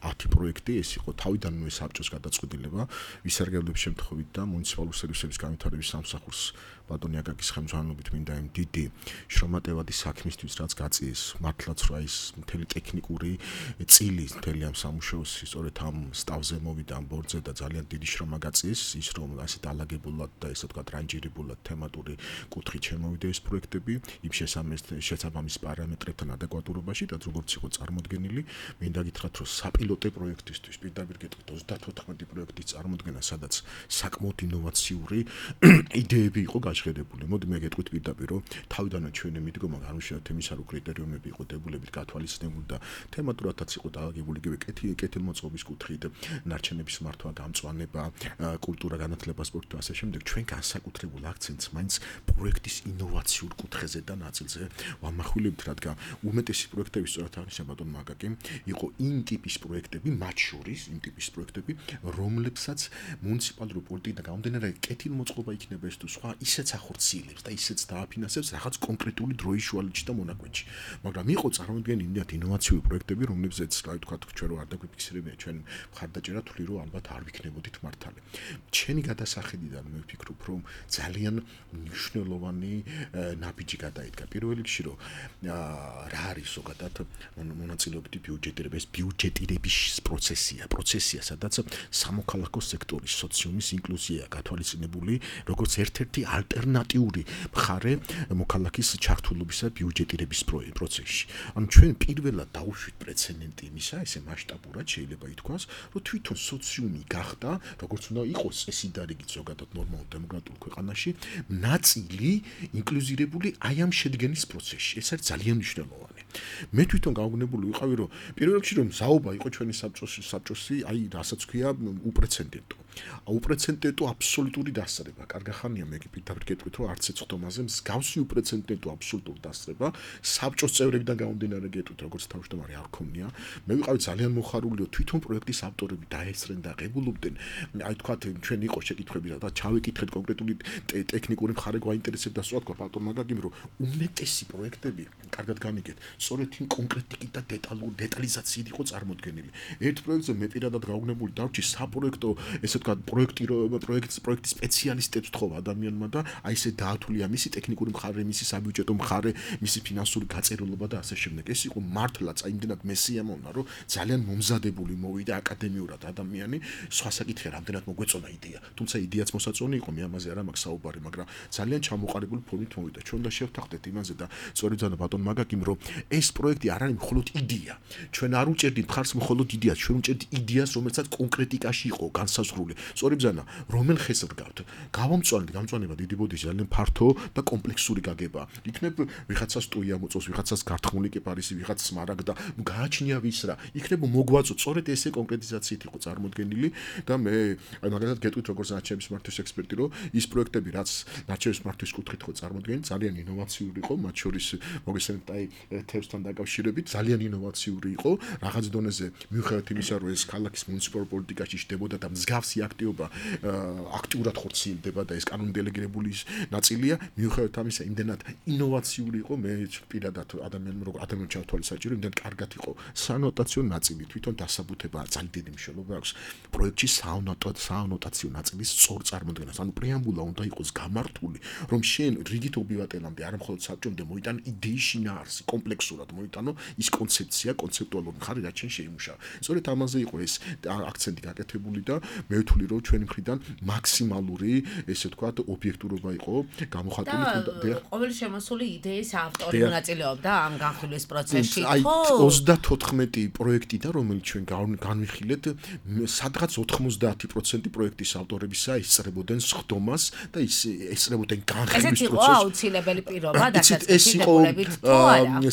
ათი პროექტი, ეს იყო თავიდანვე საბჭოს გადაწყვეტილება, ვისარგებლობის შემთხვევით და მუნიციპალური სერვისების განვითარების სამსახურს ბატონი აკაკის ხელმძღვანელობით მინდა იმ დიდი შრომატევადი საქმისთვის, რაც გაწიეს, მართლაც რა ის მთელი ტექნიკური წილი მთელი ამ სამუშაოს სწორედ ამ სტავზე მოვიდა ამ ბორდზე და ძალიან დიდი შრომა გაწიეს, ის რომ ასეთ ალაგებულად და ესე ვთქვათ რანჯირებულად თემატური კუთხით შემოვიდა ეს პროექტები, იმ შესაბამის პარამეტრებთან ადეკვატურობაში და როგორც იყო წარმოდგენილი, მინდა გითხრათ, რომ საპილოტო პროექტისთვის პირდაპირ გეტყვით ოცდათოთხმეტი პროექტის წარმოდგენა, სადაც საკმაოდ ინოვაციური იდეები იყო გაჟღერებული. მოდი მე გეტყვით პირდაპირ, რომ თავიდანვე ჩვენი მიდგომა განვიშალეთ იმისა, რომ კრიტერიუმები იყო დებულებით გათვალისწინებული და თემატურადაც იყო დაალაგებული იგივე კეთილმოწყობის კუთხით, ნარჩენების მართვა, გამწვანება, კულტურა, განათლება, სპორტი და ასე შემდეგ. ჩვენ განსაკუთრებულ აქცენტს მაინც პროექტის ინოვაციურ კუთხეზე და ნაწილზე ვამახვილებთ, რადგან უმეტესი პროექტები სწორად აღნიშნა ბატონ მაკაკი, იყო იმ ტიპის პროექტები, მათ შორის იმ ტიპის პროექტები, რომლებსაც მუნიციპალური პოლიტიკიდან გამომდინარე კეთილმოწყობა იქნება ეს თუ სხვა ისეც ახორციელებს და ისეც დააფინანსებს რაღაც კონკრეტული დროის შუალედში და მონაკვეთში. მაგრამ იყო წარმოდგენილი იმდენად ინოვაციური პროექტები, რომლებზეც რა ვთქვათ, ჩვენ რო არ დაგვიფიქსირებია, ჩვენ მხარდაჭერა თვლი რომ ალბათ არ ვიქნებოდით მართალი. ჩემი გადასახედიდან მე ვფიქრობ, რომ ძალიან მნიშვნელოვანი ნაბიჯი გადაიდგა. პირველ რიგში რომ რა არის ზოგადად მონაწილეობითი ბიუჯეტირება, ეს ბიუჯეტირების პროცესია, პროცესია, სადაც სამოქალაქო სექტორის სოციუმის ინკლუზია გათვალისწინებული, როგორც ერთ-ერთი ალტერნატიული მხარე მოქალაქის ჩართულობისა ბიუჯეტირების პროცესში. ანუ ჩვენ პირველად დავუშვით პრეცედენტი იმისა, ესე მასშტაბურად შეიძლება ითქვას, რომ თვითონ სოციუმი გახდა, როგორც უნდა იყოს წესიდარიგით ზოგადად ნორმალურ დემოკრატიულ ქვეყანაში, ნაწილი ინკლუზირებული აი ამ შედგენის პროცესში. ეს არის ძალიან მნიშვნელოვანი. მე თვითონ გავგონებული ვიყავი, რომ პირველ რიგში რომ საუბა იყო ჩვენი საბჭოს საბჭოსი, აი რასაც ქვია უპრეცედენტო. უპრეცედენტო აბსოლუტური დასწრება. კარგახანია მე პირდაპირ გეტყვით, რომ არც ეცხვდომაზე მსგავსი უპრეცედენტო აბსოლუტური დასწრება საბჭოს წევრებიდან გამომდინარე გეტყვით, როგორც თავმჯდომარე არ ქონია. მე ვიყავი ძალიან მოხარული, რომ თვითონ პროექტის ავტორები დაესწრენ და ღებულობდნენ. აი თქვა ჩვენ იყო შეკითხვები და ჩავიკითხეთ კონკრეტული ტექნიკური მხარე გვაინტერესებდა სწორად ბატონ მაგაგიმ, რომ უმეტესი პროექტები, კარგად განიგეთ, სწორედ იმ კონკრეტიკით და დეტალურ დეტალიზაციით იყო წარმოდგენილი. ერთ პროექტზე მე პირადად გაუგნებული დავრჩი საპროექტო, ესე ვთქვათ, პროექტირება, პროექტის პროექტის სპეციალისტებს თხოვა ადამიანმა და აი ესე დაათვლია მისი ტექნიკური მხარე, მისი საბიუჯეტო მხარე, მისი ფინანსური გაწერილობა და ასე შემდეგ. ეს იყო მართლაც აი იმდენად მესიამოვნა, რომ ძალიან მომზადებული მოვიდა აკადემიურად ადამიანი, სხვა საკითხი რამდენად მოგვეწონა იდეა. თუმცა იდეაც მოსაწონი იყო, მე ამაზე არ მაქვს საუბარი, მაგრამ ძალიან ჩამოყალიბებული ფორმით მოვიდა. ჩვენ და შევთანხმდეთ იმაზე და სწორედ ზანა ბატონ მაგაკიმ, რომ ეს პროექტი არ არის მხოლოდ იდეა. ჩვენ არ უჭერდით მხარს მხოლოდ იდეას, ჩვენ უჭერდით იდეას, რომელსაც კონკრეტიკაში იყო განსაზღვრული. სწორედ ზანა, რომელ ხეს რგავთ? გავამწვანეთ, გამწვანება დიდი ბოდიში ძალიან ფართო და კომპლექსური გაგება. იქნებ ვიღაცას ტუია მოწოს, ვიღაცას გართხმული კეპარისი, ვიღაცას მარაგდა, ნუ გააჩნია ვის რა. იქნებ მოგვაწოთ, სწორედ ესე კონკრეტიზაციით იყო წარმოდგენილი და მე აი მაგალითად გეტყვით როგორც ნარჩენების მართვის ექსპერტი, რომ ის პროექტები, რაც ნარჩენების მართვის კუთხით იყო წარმოდგენილი, ძალიან ინოვაციური იყო, მათ შორის მოგესალმებით აი თევზთან დაკავშირებით, ძალიან ინოვაციური იყო, რაღაც დონეზე მიუხედავად იმისა, რომ ეს ქალაქის მუნიციპალურ პოლიტიკაში შდებოდა და მსგავსი აქტივობა აქტიურად ხორციელდება და ეს კანონდელეგირებული ნაწილია, მიუხედავად ამისა, იმდენად ინოვაციური იყო, მე პირადად ადამიანმა როგორ ადამიანს ჩავთვალე საჭირო, იმდენად კარგად იყო საანოტაციო ნაწილი, თვითონ დასაბუთება ძალიან დიდი მნიშვნელობა აქვს პროექტში საანოტაციო ნაწილის სწორ წარმოდგენას. ანუ პრეამბულა უნდა იყოს გამართული, რომ შენ რიგით ობივატელამდე არა მხოლოდ საბჭომდე მოიტან იდეის შინაარსი, კომპლექსურად მოიტანო ის კონცეფცია, კონცეპტუალური მხარე, რაც შენ შეიმუშავა. სწორედ ამაზე იყო ეს აქცენტი გაკეთებული და მე ვთვლი, რომ ჩვენი მხრიდან მაქსიმალური, ესე ვთქვათ, ობიექტურობა იყო გამოხატული. და ყოველი შემოსული იდეის ავტორი მონაწილეობდა ამ განხილვის პროცესში, აი ოცდათოთხმეტი პროექტი და რომელიც ჩვენ განვიხილეთ, სადღაც ოთხმოცდაათი პროცენტი პროექტის ავტორებისა ისწრებოდნენ სხდომას და ის ესწრებოდნენ განხილვის პროცესს. ეს იყო აუცილებელი პირობა ეს დასაწყისში იყო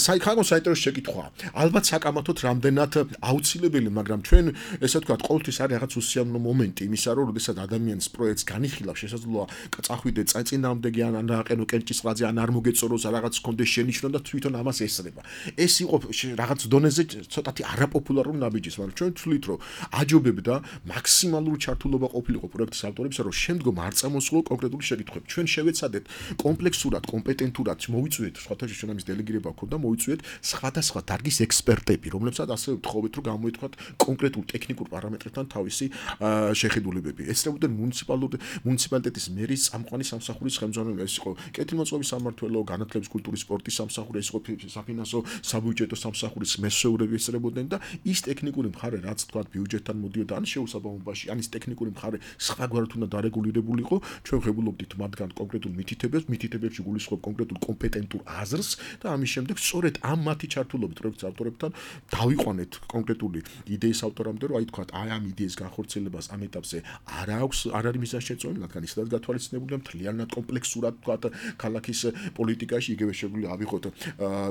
საინტერესო საინტერესო შეკითვა. ალბათ საკამათოდ რამდენად აუცილებელი, მაგრამ ჩვენ ესე ვთქვათ, ყოველთვის არის რაღაც უსიამოვნო მომენტი იმისა, რომ როდესაც ადამიანის პროექტს განიხილავს, შესაძლოა წახვიდე წინააღმდეგი ან რაყენო კენჭისყრაზე ან არ მოგეწოროს რაღაც კონდეს შენიშნო და თვითონ ამას ესწრება. ეს იყო რაღაც დონეზე ცოტათი არაპოპულარული ნაბიჯის, მაგრამ ჩვენ ვთვლით, რომ აჯობებდა მაქსიმალური ჩართულობა ყოფილიყო პროექტის ავტორებისა, რომ შემდგომ არ წამოსულო კონკრეტული შეკითხვები. ჩვენ შევეცადეთ კომპლექსურად, კომპეტენტურად მოვიწვიეთ, სხვათა შორის ჩვენ ამის დელეგირება ჰქონდა, მოვიწვიეთ სხვადასხვა დარგის ექსპერტები, რომლებსაც ასე ვთხოვეთ, რომ გამოეთქვათ კონკრეტულ ტექნიკურ პარამეტრებთან თავისი შეხედულებები. ესწრებოდნენ მუნიციპალური მუნიციპალიტეტის მერის წამყვანი სამსახურის ხელმძღვანელი, ეს იყო კეთილმოწყობის სამმართველო, განათლების, კულტურის, სპორტის სამსახური, ეს იყო საფინანსო, საბიუჯეტო სამსახურის მესვეურები ესწრებოდნენ და ის ტექნიკური მხარე, რაც თქვათ ბიუჯეტთან მოდიოდა ან შეუსაბამობაში, ან ის ტექნიკური მხარე სხვაგვარად უნდა დარეგულირებულიყო, ჩვენ ვღებულობდით მათგან კონკრეტულ მითითებებს, მითითებებში გულისხმობ კონკრეტულ კომპეტენტურ აზრს და ამის შემდეგ სწორედ ამ მათი ჩართულობით პროექტის ავტორებთან დავიყვანეთ კონკრეტული იდეის ავტორამდე, რომ აი თქვათ, აი ამ იდეის განხორციელებას ამ ეტაპზე არ აქვს, არ არის მიზანშეწონილი, რადგან ისედაც გათვალისწინებულია მთლიანად კომპლექსურად თქვათ ქალაქის პოლიტიკაში, იგივე შეგვიძლია ავიღოთ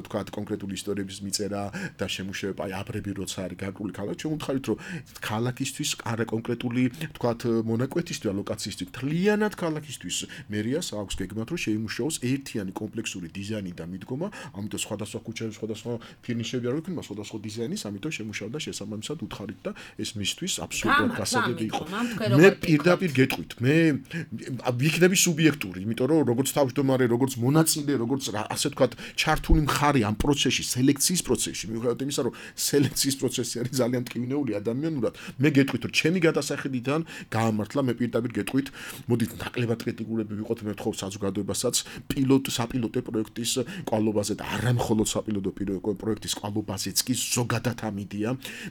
თქვათ კონკრეტული ისტორიების მიწერა და შემუშავება, აი აბრები როცა არის გარკვეული ქალაქი, ჩვენ ვუთხარით, რომ ქალაქისთვის არა კონკრეტული თქვათ მონაკვეთისთვის, ლოკაციისთვის, მთლიანად ქალაქისთვის მერიას აქვს გეგმა, რომ შეიმუშაოს ერთიანი კომპლექსური დიზაინი და მიდგომა, ამიტომ სხვადასხვა ქუჩები, სხვადასხვა ფირნიშები არ გვექნება, სხვადასხვა დიზაინის, ამიტომ შემუშავდა შესაბამისად უთხარით და ეს მისთვის აბსოლუტურად გასაგები იყო. მე პირდაპირ გეტყვით, მე ვიქნები სუბიექტური, იმიტომ რომ როგორც თავმჯდომარე, როგორც მონაწილე, როგორც ასე ვთქვათ, ჩართული მხარე ამ პროცესში, სელექციის პროცესში, მიუხედავად იმისა, რომ სელექციის პროცესი არის ძალიან ტკივნეული ადამიანურად, მე გეტყვით, რომ ჩემი გადასახედიდან გაამართლა, მე პირდაპირ გეტყვით, მოდით ნაკლებად კრიტიკულები ვიყოთ, მე ვთხოვ საზოგადოებასაც პილოტ საპილოტო პროექტის კვალობაზე და არა მხოლოდ საპილოტო პროექტის კვალობაზეც კი ზოგადად ამ იდეა,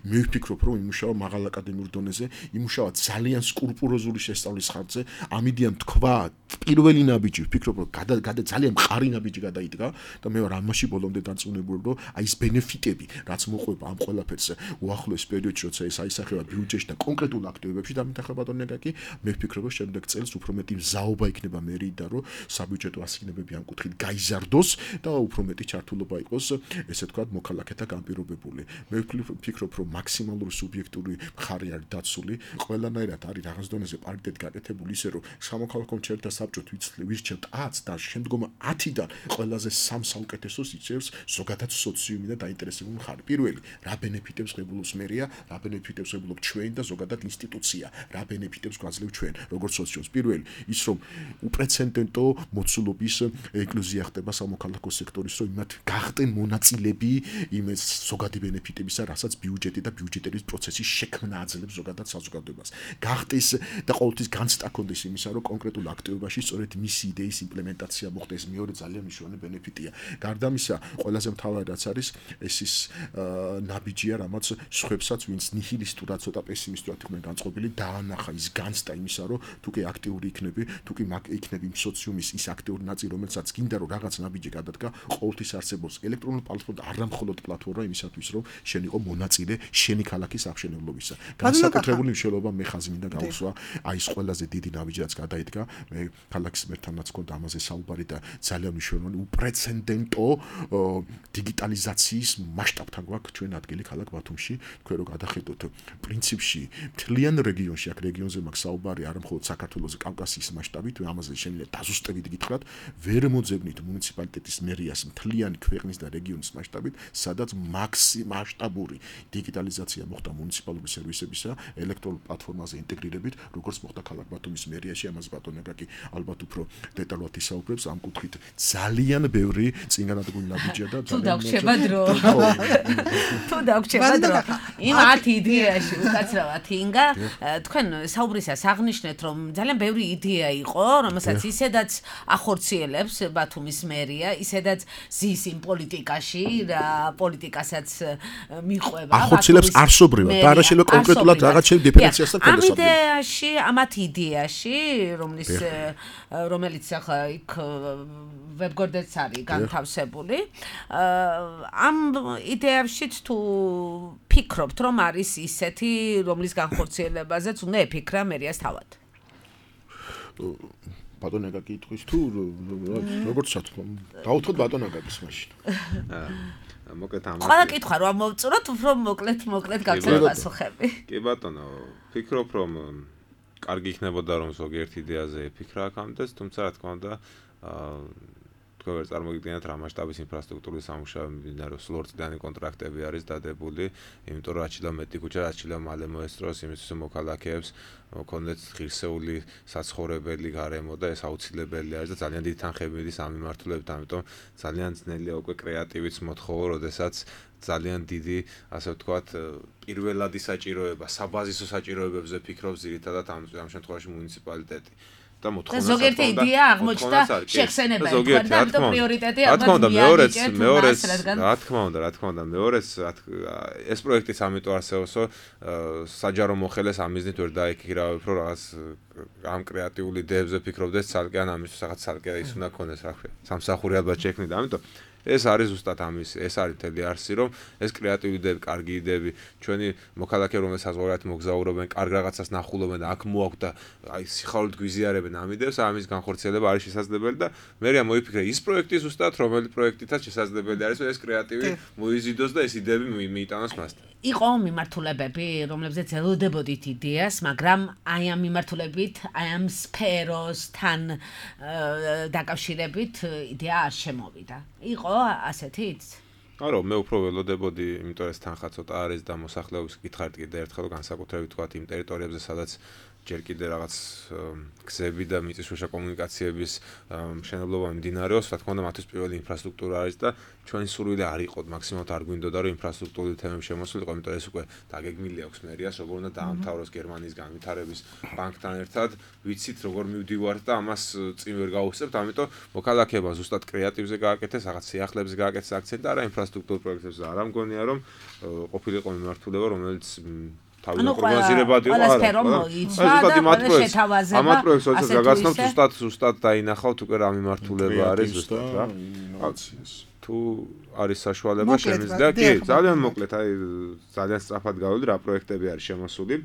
მე ვფიქრობ, რომ იმუშავა მაღალ აკადემიურ დონეზე, იმუშავა ძალიან სკრუპულოზული შესწავლის ხარჯზე, ამ იდეამ თქვა პირველი ნაბიჯი, ვფიქრობ, რომ გადა ძალიან მყარი ნაბიჯი გადაიდგა და მე ვარ ამაში ბოლომდე დარწმუნებული, რომ აი ეს ბენეფიტები, რაც მოყვება ამ ყველაფერს უახლოეს პერიოდში, როცა ეს აისახება ბიუჯეტში და კონკრეტულ აქტივობებში დამიტახა ბატონი აკაკი, მე ვფიქრობ, რომ შემდეგ წელს უფრო მეტი მზაობა იქნება მერიდან, რომ საბიუჯეტო ასიგნებები ამ კუთხით გაიზარდოს და უფრო მეტი ჩართულობა იყოს, ესე ვთქვათ, მოქალაქეთა გამ პირობებული. მე ვფიქრობ, რომ მაქსიმალური სუბიექტური მხარე არის დაცული, ყველანაირად არის რაღაც დონეზე პარიტეტი გაკეთებული ისე, რომ სამოქალაქო მრჩეველთა საბჭოთ ვირჩევთ ათს და შემდგომ ათიდან ყველაზე სამ საუკეთესოს იწევს ზოგადად სოციუმი და დაინტერესებული მხარე. პირველი, რა ბენეფიტებს ღებულობს მერია, რა ბენეფიტებს ღებულობ ჩვენ და ზოგადად ინსტიტუცია, რა ბენეფიტებს გვაძლევ ჩვენ, როგორც სოციუმს. პირველი, ის რომ უპრეცედენტო მოცულობის ეკლუზია ხდება სამოქალაქო სექტორის, რომ იმათ გახტენ მონაწილები იმ ზოგადი ბენეფიტებისა, რასაც ბიუჯეტი და ბიუჯეტების პროცესი შექმნა აძლევს ზოგადად საზოგადოებას. გახდეს და ყოველთვის განცდა კონდეს იმისა, რომ კონკრეტულ აქტივობაში სწორედ მისი იდეის იმპლემენტაცია მოხდეს, მეორე ძალიან მნიშვნელოვანი ბენეფიტია. გარდა ამისა, ყველაზე მთავარი რაც არის, ეს ის ნაბიჯია, რამაც სხვებსაც, ვინც ნიჰილისტურად, ცოტა პესიმისტურად იყვნენ განწყობილი, დაანახა ის განცდა იმისა, რომ თუ კი აქტიური იქნები, თუ კი იქნები იმ სოციუმის ის აქტიური ნაწილი, რომელსაც გინდა რომ რაღაც ნაბიჯი გადადგა, ყოველთვის არსებობს ელექტრონული პლატფორმა, არ მხოლოდ პლატფორმა იმისათვის, რომ შენ იყო მონაწილე შენი ქალაქის აღშენებლობისა. განსაკუთრებული მნიშვნელობა მე ხაზი მინდა გავუსვა, აი ეს ყველაზე დიდი ნაბიჯი რაც გადაიდგა, მე ქალაქის მერთანაც გქონდა ამაზე საუბარი და ძალიან მნიშვნელოვანი უპრეცედენტო დიგიტალიზაციის მასშტაბთან გვაქვს ჩვენ ადგილი ქალაქ ბათუმში, თქვენ რო გადახედოთ პრინციპში მთლიან რეგიონში, აქ რეგიონზე მაქვს საუბარი, არა მხოლოდ საქართველოს, კავკასიის მასშტაბით, ამაზე შეიძლება დაზუსტებით გითხრათ, ვერ მოძებნით მუნიციპალიტეტის მერიას მთლიანი ქვეყნის და რეგიონის მასშტაბით, სადაც მაქსიმალისტური დიგიტალიზაცია მოხდა მუნიციპალური სერვისებისა ელექტრონულ პლატფორმაზე ინტეგრირებით, როგორც მოხდა ქალაქ ბათუმის მერიაში, ამას ბატონი აკაკი ალბათ უფრო დეტალურად ისაუბრებს, ამ კუთხით ძალიან ბევრი წინგანადგმული ნაბიჯია და თუ დაგვრჩება დრო. თუ დაგვრჩება დრო. იმ ათ იდეაში უკაცრავად ინგა, თქვენ საუბრისას აღნიშნეთ, რომ ძალიან ბევრი იდეა იყო, რომელსაც ისედაც ახორციელებს ბათუმის მერია, ისედაც ზის იმ პოლიტიკაში და პოლიტიკასაც მიყვება. ახორციელებს არსობრივად, და არა შეიძლება კონკრეტულად რაღაც შე დიფერენციას და ამ იდეაში, ამათ იდეაში, რომლის რომელიც ახლა იქ ვებგვერდიც არის განთავსებული, ამ იდეაშიც თუ ფიქრობთ, რომ არის ისეთი, რომლის განხორციელებაზეც უნდა ეფიქრა მერიას თავად? ბატონ აკაკი იტყვის თუ როგორც ჩათქვა, დავუთოთ ბატონ აკაკის მაშინ. მოკლედ ამ ყველა კითხვა რომ მოვწუროთ, უფრო მოკლედ მოკლედ გაგცემა პასუხები. კი ბატონო, ფიქრობ რომ კარგი იქნებოდა რომ ზოგიერთ იდეაზე ეფიქრა აქამდეც, თუმცა რა თქმა უნდა, თქვენ ვერ წარმოგიდგენთ რა მასშტაბის ინფრასტრუქტურის სამუშაოები მიმდინარეობს, ლორწლიანი კონტრაქტები არის დადებული, იმიტომ რომ რაჩილა მეტი ქუჩა, რაჩილა მალე მოესწროს იმისთვის რომ მოქალაქეებს მქონდეთ ღირსეული საცხოვრებელი გარემო და ეს აუცილებელი არის და ძალიან დიდი თანხები მიდის ამ მიმართულებით, ამიტომ ძალიან ძნელია უკვე კრეატივიც მოთხოვო, როდესაც ძალიან დიდი, ასე ვთქვათ, პირველადი საჭიროება, საბაზისო საჭიროებებზე ფიქრობს ძირითადად ამ ამ შემთხვევაში მუნიციპალიტეტი. და მოთხოვნა ზოგიერთი იდეა აღმოჩნდა შეხსენება, თქვენ და ამიტომ პრიორიტეტი ალბათ მეორეც, მეორეც, რა თქმა უნდა, რა თქმა უნდა, მეორეც ეს პროექტიც ამიტომ არსებობს, რომ საჯარო მოხელეს ამ მიზნით ვერ დაიქირავებ, რომ რაღაც ამ კრეატიული იდეებზე ფიქრობდეს ცალკე, ან ამისთვის რაღაც ცალკე ის უნდა ქონდეს, რა ქვია, სამსახური ალბათ შექმნით, ამიტომ ეს არის ზუსტად ამის, ეს არის მთელი არსი, რომ ეს კრეატიული იდეები, კარგი იდეები, ჩვენი მოქალაქეები, რომელსაც საზღვარგარეთ მოგზაურობენ, კარგ რაღაცას ნახულობენ და აქ მოაქვთ და აი სიხარულით გვიზიარებენ ამ იდეებს, ამის განხორციელება არის შესაძლებელი და მერე მოიფიქრე ის პროექტი ზუსტად, რომელი პროექტითაც შესაძლებელი არის, რომ ეს კრეატივი მოიზიდოს და ეს იდეები მიიტანოს მასთან. იყო მიმართულებები, რომლებზეც ელოდებოდით იდეას, მაგრამ აი ამ მიმართულებით, აი ამ სფეროსთან დაკავშირებით იდეა არ შემოვიდა. იყო ასეთიც? არა, მე უფრო ველოდებოდი, იმიტომ ეს თანხა ცოტა არის და მოსახლეობის კითხარით კიდე ერთხელ განსაკუთრებით თქვათ იმ ტერიტორიებზე, სადაც ჯერ კიდე რაღაც გზები და მიწისქვეშა კომუნიკაციების მშენებლობა მიმდინარეობს, რა თქმა უნდა, მათთვის პირველი ინფრასტრუქტურა არის და ჩვენი სურვილი არ იყო, მაქსიმალურად არ გვინდოდა, რომ ინფრასტრუქტურული თემები შემოსულიყო, იმიტომ ეს უკვე დაგეგმილი აქვს მერიას, როგორ უნდა დაამთავროს გერმანიის განვითარების ბანკთან ერთად, ვიცით როგორ მივდივართ და ამას წინ ვერ გავუსწრებთ, ამიტომ მოქალაქეება ზუსტად კრეატივზე გააკეთეს, რაღაც სიახლეებზე გააკეთეს აქცენტი და არა ინფრასტრუქტურულ პროექტებზე. არა მგონია, რომ ყოფილიყო მიმართულება, რომელიც ანუ პროგნოზირებადი იყო არა. ზუსტად იმათ პროექტს, ამათ პროექტს როდესაც გაგაცნობთ, ზუსტად ზუსტად დაინახავთ უკვე რა მიმართულება არის ზუსტად რა. თუ არის საშუალება შემიძლია, კი, ძალიან მოკლედ, აი ძალიან სწრაფად გავიდი რა პროექტები არის შემოსული.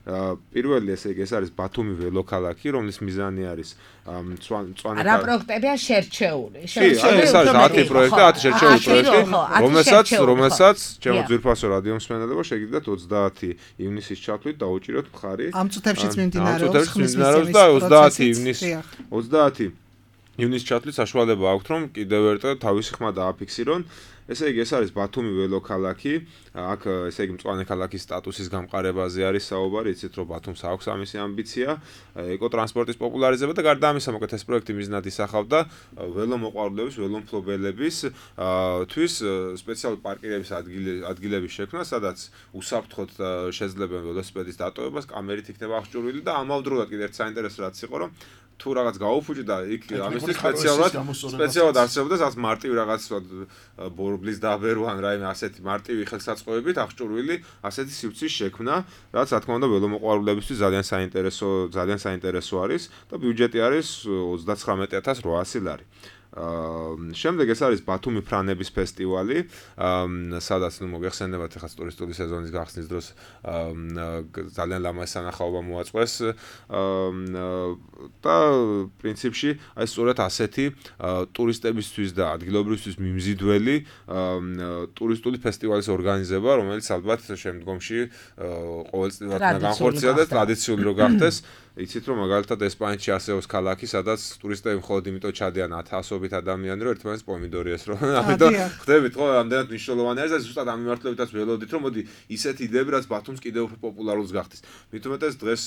პირველი ესე იგი ეს არის ბათუმი ველოქალაქი, რომლის მიზანი არის მწვანე რა პროექტებია შერჩეული. შერჩეული ეს არის ათი პროექტი, ათი შერჩეული პროექტი, რომელსაც რომელსაც ჩემო ძვირფასო რადიო მსმენელებო შეგიძლიათ ოცდაათი ივნისის ჩათვლით დაუჭიროთ მხარი. ამ წუთებშიც მიმდინარეობს ხმის მისცემის და ოცდაათი ივნისს ოცდაათი ივნისის ჩათვლით საშუალება აქვთ, რომ კიდევ ერთხელ თავისი ხმა დააფიქსირონ. ესე იგი ეს არის ბათუმი ველოქალაქი, აქ ესე იგი მწვანე ქალაქის სტატუსის გამყარებაზე არის საუბარი, იცით რომ ბათუმს აქვს ამისი ამბიცია, ეკოტრანსპორტის პოპულარიზება და გარდა ამისა, მოკლედ ეს პროექტი მიზნად ისახავდა ველომოყვარულების, ველომფლობელების თვის სპეციალური პარკირების ადგილების შექმნა, სადაც უსაფრთხოდ შეძლებენ ველოსიპედის დატოვებას, კამერით იქნება აღჭურვილი და ამავდროულად კიდევ ერთ საინტერესო რაც იყო, რომ თუ რაღაც გაუფუჭი და იქ ამისთვის სპეციალურად სპეციალურად არსებობდა რაღაც მარტივი რაღაც ბორბლის დაბერვა ან რაიმე ასეთი მარტივი ხელსაწყოებით აღჭურვილი ასეთი სივრცის შექმნა, რაც რა თქმა უნდა ველომოყვარულებისთვის ძალიან საინტერესო ძალიან საინტერესო არის და ბიუჯეტი არის ოცდაცხრამეტი ათას რვაასი ლარი. აა შემდეგ ეს არის ბათუმი ფრანების ფესტივალი, სადაც ნუ მოგეხსენებათ ახლა ტურისტული სეზონის გახსნის დროს ძალიან ლამაზი სანახაობა მოაწყვეს და პრინციპში აი სწორედ ასეთი ტურისტებისთვის და ადგილობრივისთვის მიმზიდველი ტურისტული ფესტივალის ორგანიზება, რომელიც ალბათ შემდგომში ყოველწლიურად განხორციელდეს, ტრადიციული რო გახდეს. იცით რომ მაგალითად ესპანეთში არსებობს ქალაქი, სადაც ტურისტები მხოლოდ იმიტომ ჩადიან ათასობით ადამიანი, რომ ერთმანეთს პომიდორი ესროლ. ამიტომ ხდებით ხო, ამდენად მნიშვნელოვანი არის და ზუსტად ამ მიმართულებითაც ველოდით, რომ მოდი ისეთი იდეები, რაც ბათუმს კიდევ უფრო პოპულარულს გახდეს. მით უმეტეს დღეს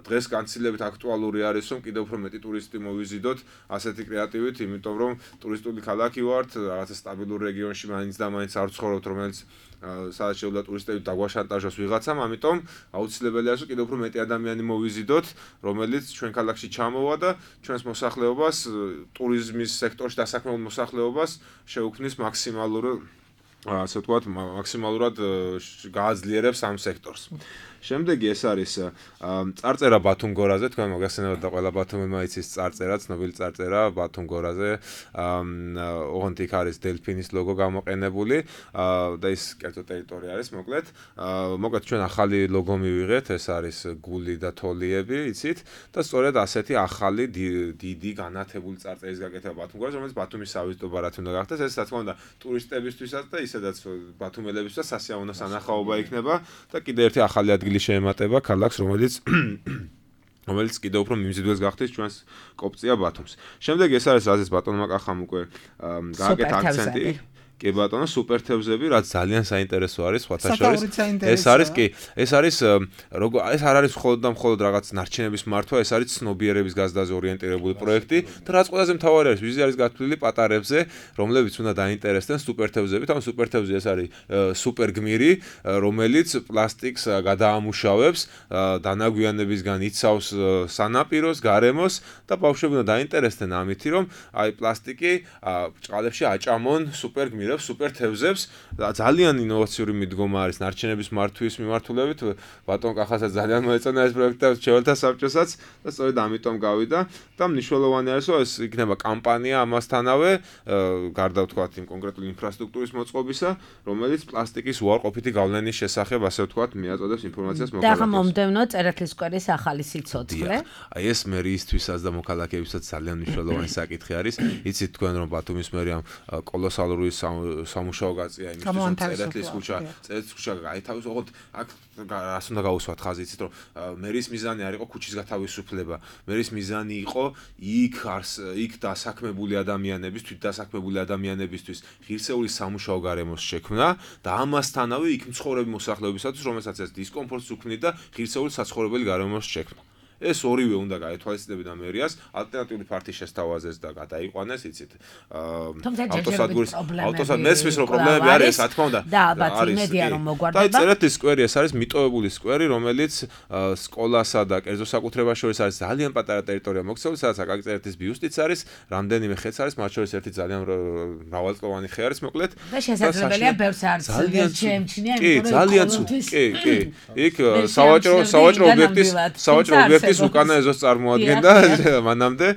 დღეს განცილებით აქტუალური არის, რომ კიდევ უფრო მეტი ტურისტი მოვიზიდოთ ასეთი კრეატივით, იმიტომ რომ ტურისტული ქალაქი ვართ, რაღაცა სტაბილურ რეგიონში მაინც და მაინც არ ვცხოვრობთ, რომელიც სადაც შეუძლია ტურისტები დაგვაშანტაჟოს ვიღაცამ, ამიტომ აუცილებელია რომ კიდევ უფრო მეტი ადამიანი მოვიზიდოთ, რომელიც ჩვენ ქალაქში ჩამოვა და ჩვენს მოსახლეობას, ტურიზმის სექტორში დასაქმებულ მოსახლეობას შეუქმნის მაქსიმალურ, ასე ვთქვათ, მაქსიმალურად გააძლიერებს ამ სექტორს. შემდეგი ეს არის წარწერა ბათუმ გორაზე, თქვენ მოგახსენებათ და ყველა ბათუმელმა იცის წარწერა, ცნობილი წარწერა ბათუმ გორაზე. ოღონდ იქ არის დელფინის ლოგო გამოყენებული და ის კერძო ტერიტორია არის, მოკლედ. მოკლედ ჩვენ ახალი ლოგო მივიღეთ, ეს არის გული და თოლიები, იცით? და სწორედ ასეთი ახალი დიდი განათებული წარწერის გაკეთება ბათუმ გორაზე, რომელიც ბათუმის სავიზიტო ბარათი უნდა გახდეს. ეს რა თქმა უნდა ტურისტებისთვისაც და ისედაც ბათუმელებისთვისაც სასიამოვნო სანახაობა იქნება და კიდევ ერთი ახალი ადგილი შეემატება ქალაქს, რომელიც რომელიც კიდევ უფრო მიმზიდველს გახდეს ჩვენს კოპწია ბათუმს. შემდეგ ეს არის რაზეც ბატონმა კახამ უკვე გააკეთა აქცენტი. კი ბატონო, სუპერ თევზები, რაც ძალიან საინტერესო არის, სხვათა შორის. ეს არის კი, ეს არის როგორ ეს არ არის მხოლოდ და მხოლოდ რაღაც ნარჩენების მართვა, ეს არის ცნობიერების გაზრდაზე ორიენტირებული პროექტი და რაც ყველაზე მთავარი არის, ვიზი არის გათვლილი პატარებზე, რომლებიც უნდა დაინტერესდნენ სუპერ თევზებით. ამ სუპერ თევზი ეს არის სუპერ გმირი, რომელიც პლასტიკს გადაამუშავებს, დანაგვიანებისგან იცავს სანაპიროს, გარემოს და ბავშვები უნდა დაინტერესდნენ ამით, რომ აი პლასტიკი ჭყალებში აჭამონ სუპერ გმირს სუპერ თევზებს და ძალიან ინოვაციური მიდგომა არის ნარჩენების მართვის მიმართულებით. ბატონ კახასაც ძალიან მოეწონა ეს პროექტი და შეველთა საბჭოსაც და სწორედ ამიტომ გავიდა და მნიშვნელოვანი არის, რომ ეს იქნება კამპანია ამასთანავე, გარდა ვთქვათ იმ კონკრეტული ინფრასტრუქტურის მოწყობისა, რომელიც პლასტიკის უარყოფითი გავლენის შესახებ, ასე ვთქვათ, მიაწოდებს ინფორმაციას მოქალაქეებს. და მომდევნო წერეთლის სკვერის ახალი სიცოცხლე. აი ეს მერიისთვისაც და მოქალაქეებისაც ძალიან მნიშვნელოვანი საკითხი არის. იცით თქვენ რომ ბათუმის მერიამ კოლოსალური სამუშაო გაწია იმისთვის, რომ წერეთლის ქუჩა, წერეთლის ქუჩა გაითავისოს, ოღონდ აქ რას უნდა გაუსვათ ხაზი, იცით რომ მერის მიზანი არ იყო ქუჩის გათავისუფლება, მერის მიზანი იყო იქ არს იქ დასაქმებული ადამიანების, თვით დასაქმებული ადამიანებისთვის ღირსეული სამუშაო გარემოს შექმნა და ამასთანავე იქ მცხოვრები მოსახლეობისათვის, რომელსაც ეს დისკომფორტს უქმნიდა და ღირსეული საცხოვრებელი გარემოს შექმნა. ეს ორივე უნდა გაეთვალისწინებინა მერიას, ალტერნატიული ფართის შესთავაზეს და გადაიყვანეს, იცით. ავტოსადგურის ავტოსად მესმის რომ პრობლემები არის, რა თქმა უნდა. და ალბათ იმედია რომ მოგვარდება. და წერეთის სკვერი ეს არის მიტოვებული სკვერი, რომელიც სკოლასა და კერძო საკუთრებას შორის არის ძალიან პატარა ტერიტორია მოქცეული, სადაც აკაკი წერეთის ბიუსტიც არის, რამდენიმე ხეც არის, მათ შორის ერთი ძალიან მრავალწლოვანი ხე არის, მოკლედ. და შესაძლებელია ბევრს არც შეემჩნია, კი, ძალიან ცუდი. კი, კი. იქ სავაჭრო სავაჭრო ობიექტის სავაჭრო ობიექტის ის უკანა ეზოს წარმოადგენდა მანამდე.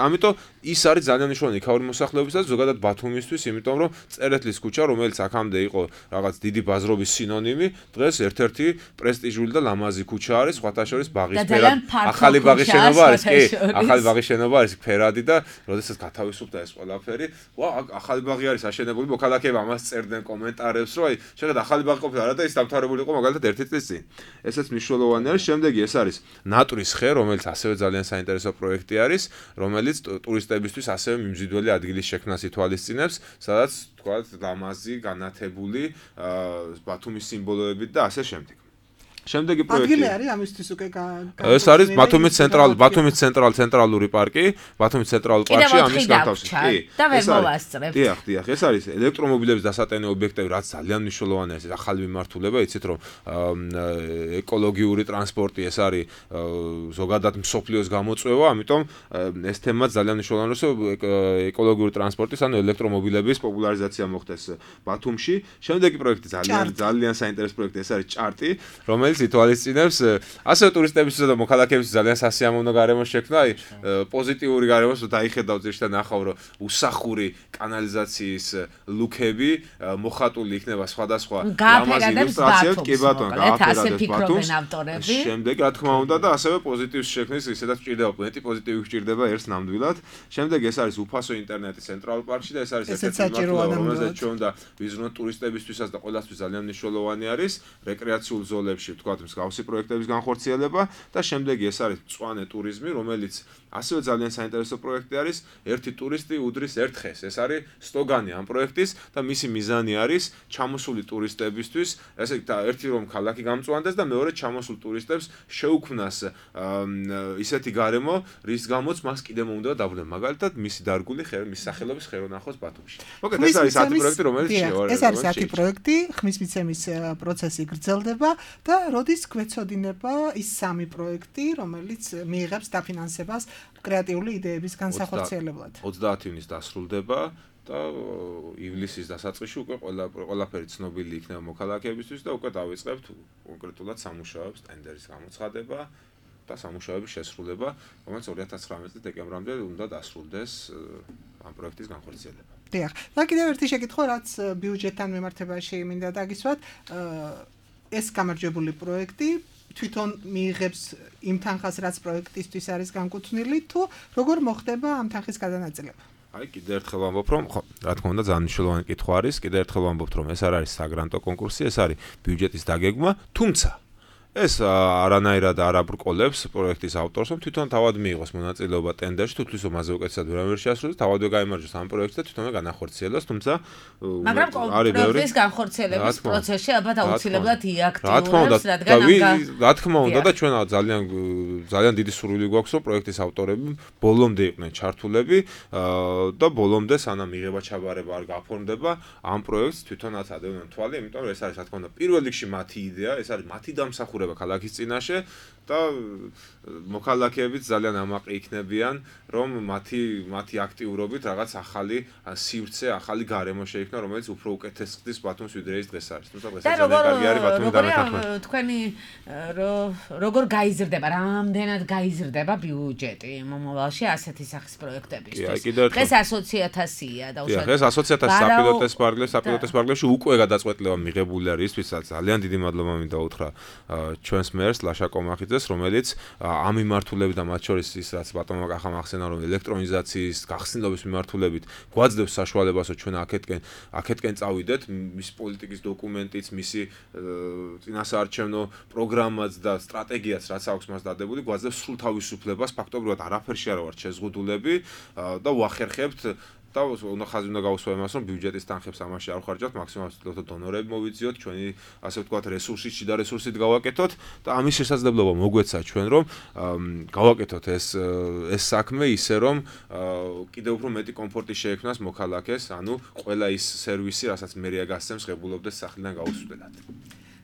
ამიტომ ის არის ძალიან მნიშვნელოვანი იქაური მოსახლეობისათვის, ზოგადად ბათუმისთვის, იმიტომ რომ წერეთლის ქუჩა, რომელიც აქამდე იყო რაღაც დიდი ბაზრობის სინონიმი, დღეს ერთ-ერთი პრესტიჟული და ლამაზი ქუჩა არის, სხვათა შორის ბაღის ფერად. ახალი ბაღის შენობა არის, კი, ახალი ბაღის შენობა არის ფერადი და როდესაც გათავისუფლდა ეს ყველაფერი, ვა, ახალი ბაღი არის აშენებული, მოქალაქეები ამას წერდნენ კომენტარებს, რომ აი, შეგად ახალი ბაღი ყოფილა რა და ის დამთავრებული იყო მაგალითად ერთი წლის წინ. ესეც მნიშვნელოვანი არის. შემდეგი ეს არის ნატურის ხე, რომელიც ასევე ძალიან საინტერესო პროექტი არის, რომელიც ტურისტ ტურისტებისთვის ასევე მიმზიდველი ადგილის შექმნას ითვალისწინებს, სადაც თქვათ ლამაზი, განათებული ბათუმის სიმბოლოებით და ასე შემდეგ. შემდეგი პროექტი. ადგილი არის ამისთვის უკვე ეს არის ბათუმის ცენტრალ ბათუმის ცენტრალ ცენტრალური პარკი, ბათუმის ცენტრალურ პარკში ამის განთავსება. კი. და ვერ მოვასწრებთ. დიახ, დიახ, ეს არის ელექტრომობილების დასატენე ობიექტები, რაც ძალიან მნიშვნელოვანია, ეს ახალი მიმართულება, იცით რომ ეკოლოგიური ტრანსპორტი ეს არის ზოგადად მსოფლიოს გამოწვევა, ამიტომ ეს თემა ძალიან მნიშვნელოვანია, რომ ეკოლოგიური ტრანსპორტის, ანუ ელექტრომობილების პოპულარიზაცია მოხდეს ბათუმში. შემდეგი პროექტი ძალიან ძალიან საინტერესო პროექტი, ეს არის ჭარტი, რომელიც ითვალისწინებს ასევე ტურისტებისთვის და მოქალაქეებისთვის ძალიან სასიამოვნო გარემოს შექმნა, აი პოზიტიური გარემოს დაიხედავთ ზუსტად ნახავ რომ უსახური კანალიზაციის ლუკები მოხატული იქნება სხვადასხვა ლამაზ ილუსტრაციებად, კი ბატონო, გააფერადებს ბათუმს. შემდეგ რა თქმა უნდა და ასევე პოზიტივს შექმნის, ისედაც ჭირდება პონეტი პოზიტივი ჭირდება ერთს ნამდვილად. შემდეგ ეს არის უფასო ინტერნეტი ცენტრალურ პარკში და ეს არის ერთ-ერთი მიმართულება, რომელზეც ჩვენ უნდა ვიზრუნოთ ტურისტებისთვისაც და ყველასთვის ძალიან მნიშვნელოვანი არის რეკრეაციულ ზოლებში თქვათ მსგავსი პროექტების განხორციელება და შემდეგი ეს არის მწვანე ტურიზმი, რომელიც ასევე ძალიან საინტერესო პროექტი არის. ერთი ტურისტი უდრის ერთ ხეს. ეს არის სლოგანი ამ პროექტის და მისი მიზანი არის ჩამოსული ტურისტებისთვის, ესე იგი ერთი რომ ქალაქი გამწვანდეს და მეორე ჩამოსულ ტურისტებს შეუქმნას ისეთი გარემო, რის გამოც მას კიდევ მომდევა დაბრუნება. მაგალითად, მისი დარგული მის სახელობის ხელოვნახოს ბათუმში. მოკლედ ეს არის ათი პროექტი, რომელიც შევა. ეს არის ათი პროექტი, ხმის მიცემის პროცესი გრძელდება და როდის გვეცოდინება ის სამი პროექტი, რომელიც მიიღებს დაფინანსებას კრეატიული იდეების განსახორციელებლად. ოცდაათი ივნის დასრულდება და ივლისის დასაწყისში უკვე ყველა ყველაფერი ცნობილი იქნება მოქალაქეებისთვის და უკვე დავიწყებთ კონკრეტულად სამუშაოებს, ტენდერის გამოცხადება და სამუშაოების შესრულება, რომელიც ორი ათას ცხრამეტი წლის დეკემბრამდე უნდა დასრულდეს ამ პროექტის განხორციელება. დიახ. და კიდევ ერთი შეკითხვა, რაც ბიუჯეტთან მიმართებაში მინდა დაგისვათ, ეს გამარჯვებული პროექტი თვითონ მიიღებს იმ თანხას, რაც პროექტისთვის არის განკუთვნილი, თუ როგორ მოხდება ამ თანხის გადანაწილება? აი, კიდევ ერთხელ ვამბობ, რომ ხო, რა თქმა უნდა, ძალიან მნიშვნელოვანი კითხვა არის. კიდევ ერთხელ ვამბობ, რომ ეს არ არის საგრანტო კონკურსი, ეს არის ბიუჯეტის დაგეგმა, თუმცა ეს არანაირად არ აბრკოლებს პროექტის ავტორს, რომ თვითონ თავად მიიღოს მონაწილეობა ტენდერში, თუ თვითონ მასზე უკეთესად ვერ ამერშიასრულოს, თავადვე გაიმარჯვოს ამ პროექტს და თვითონვე განახორციელოს, თუმცა მაგრამ პროექტის განხორციელების პროცესში ალბათ აუცილებლად იაქტიურებს, რადგან რა თქმა უნდა და ჩვენ ძალიან ძალიან დიდი სურვილი გვაქვს, რომ პროექტის ავტორები ბოლომდე იყვნენ ჩართულები და ბოლომდე სანამ მიღება ჩაბარება არ გაფორმდება ამ პროექტს თვითონაც ადევნონ თვალი, იმიტომ რომ ეს არის რა თქმა უნდა პირველ რიგში მათი იდეა, ეს არის მათი დამსახურება ქალაქის წინაშე და მოქალაქეებიც ძალიან ამაყი იქნებიან, რომ მათი მათი აქტიურობით რაღაც ახალი სივრცე, ახალი გარემო შეიქმნა, რომელიც უფრო უკეთეს ხდის ბათუმს ვიდრე ის დღეს არის. თუმცა ეს ძალიან კარგი არის ბათუმის დამეთანხმება. თქვენი როგორ გაიზრდება, რამდენად გაიზრდება ბიუჯეტი მომავალში ასეთი სახის პროექტებისთვის? დღეს ასოცი ათასია და უშუალოდ ეს ასოცი ათასი საპილოტეს პარკლებში, საპილოტეს პარკლებში უკვე გადაწყვეტილება მიღებული არის ისთვისაც ძალიან დიდი მადლობა მინდა უთხრა ჩვენს მერს ლაშა კომახიძეს, რომელიც ამ მიმართულებით და მათ შორის ის რაც ბატონმა კახამ ახსენა, რომ ელექტრონიზაციის გახსნილობის მიმართულებით გვაძლევს საშუალებას, რომ ჩვენ აქეთკენ აქეთკენ წავიდეთ, მისი პოლიტიკის დოკუმენტიც, მისი წინასაარჩევნო პროგრამაც და სტრატეგიაც რაც აქვს მას დადებული, გვაძლევს სრულ თავისუფლებას, ფაქტობრივად არაფერში არ ვართ შეზღუდულები და ვახერხებთ და უნდა ხაზი უნდა გავუსვა იმას, რომ ბიუჯეტის თანხებს ამაში არ ვხარჯავთ, მაქსიმალურად დონორები მოვიძიოთ, ჩვენი ასე ვთქვათ რესურსით, შიდა რესურსით გავაკეთოთ და ამის შესაძლებლობა მოგვეცა ჩვენ, რომ გავაკეთოთ ეს ეს საქმე ისე, რომ კიდევ უფრო მეტი კომფორტი შეექმნას მოქალაქეს, ანუ ყველა ის სერვისი, რასაც მერია გასცემს, ღებულობდეს სახლიდან გაუსვლელად.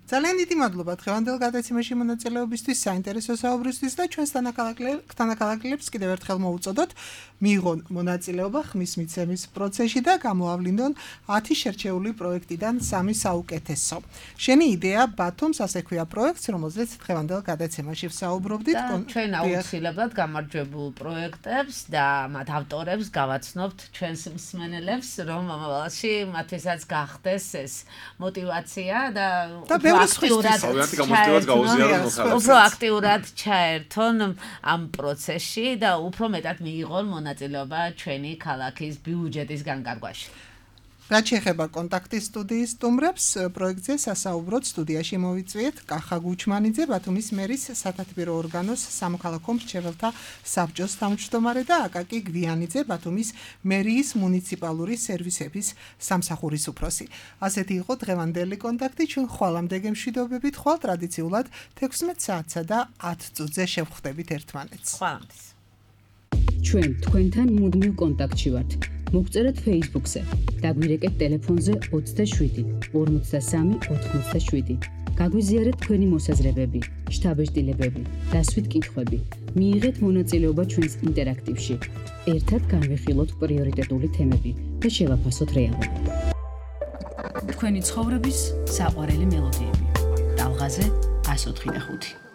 ძალიან დიდი მადლობა დღევანდელ გადაცემაში მონაწილეობისთვის, საინტერესო საუბრისთვის და ჩვენს თანაკალაკლებს კიდევ ერთხელ მოუწოდოთ მიიღონ მონაწილეობა ხმის მიცემის პროცესში და გამოავლინდონ ათი შერჩეული პროექტიდან სამი საუკეთესო. შენი იდეა ბათუმს ასე ქვია პროექტს, რომელზეც დღევანდელ გადაცემაში ვსაუბრობდით. ჩვენ აუცილებლად გამარჯვებულ პროექტებს და მათ ავტორებს გავაცნობთ ჩვენს მსმენელებს, რომ მომავალში მათთვისაც გახდეს ეს мотиваცია და უფრო აქტიურად ჩაერთონ ამ პროცესში და უფრო მეტად მიიღონ მონაწილეობა ჩვენი ქალაქის ბიუჯეტის განკარგვაში. რაც შეეხება კონტაქტის სტუდიის სტუმრებს, პროექტზე სასაუბროდ სტუდიაში მოვიწვიეთ კახა გუჩმანიძე, ბათუმის მერის სათათბირო ორგანოს სამოქალაქო მრჩეველთა საბჭოს თავმჯდომარე და აკაკი გვიანიძე, ბათუმის მერიის მუნიციპალური სერვისების სამსახურის უფროსი. ასეთი იყო დღევანდელი კონტაქტი, ჩვენ ხვალამდე გემშვიდობებით, ხვალ ტრადიციულად თექვსმეტ საათსა და ათ წუთზე შევხვდებით ერთმანეთს. ხვალამდე. ჩვენ თქვენთან მუდმივ კონტაქტში ვართ. მოგწერეთ Facebook-ზე, დაგვირეკეთ ტელეფონზე ოცდაშვიდი ორმოცდასამი ოთხმოცდაშვიდი. გაგვიზიარეთ თქვენი მოსაზრებები, შთაბეჭდილებები, დასვით კითხვები. მიიღეთ მონაწილეობა ჩვენს ინტერაქტივში. ერთად განვიხილოთ პრიორიტეტული თემები და შევაფასოთ რეალობა. თქვენი ცხოვრების საყვარელი მელოდიები. ტალღაზე ას ოთხი და ხუთი.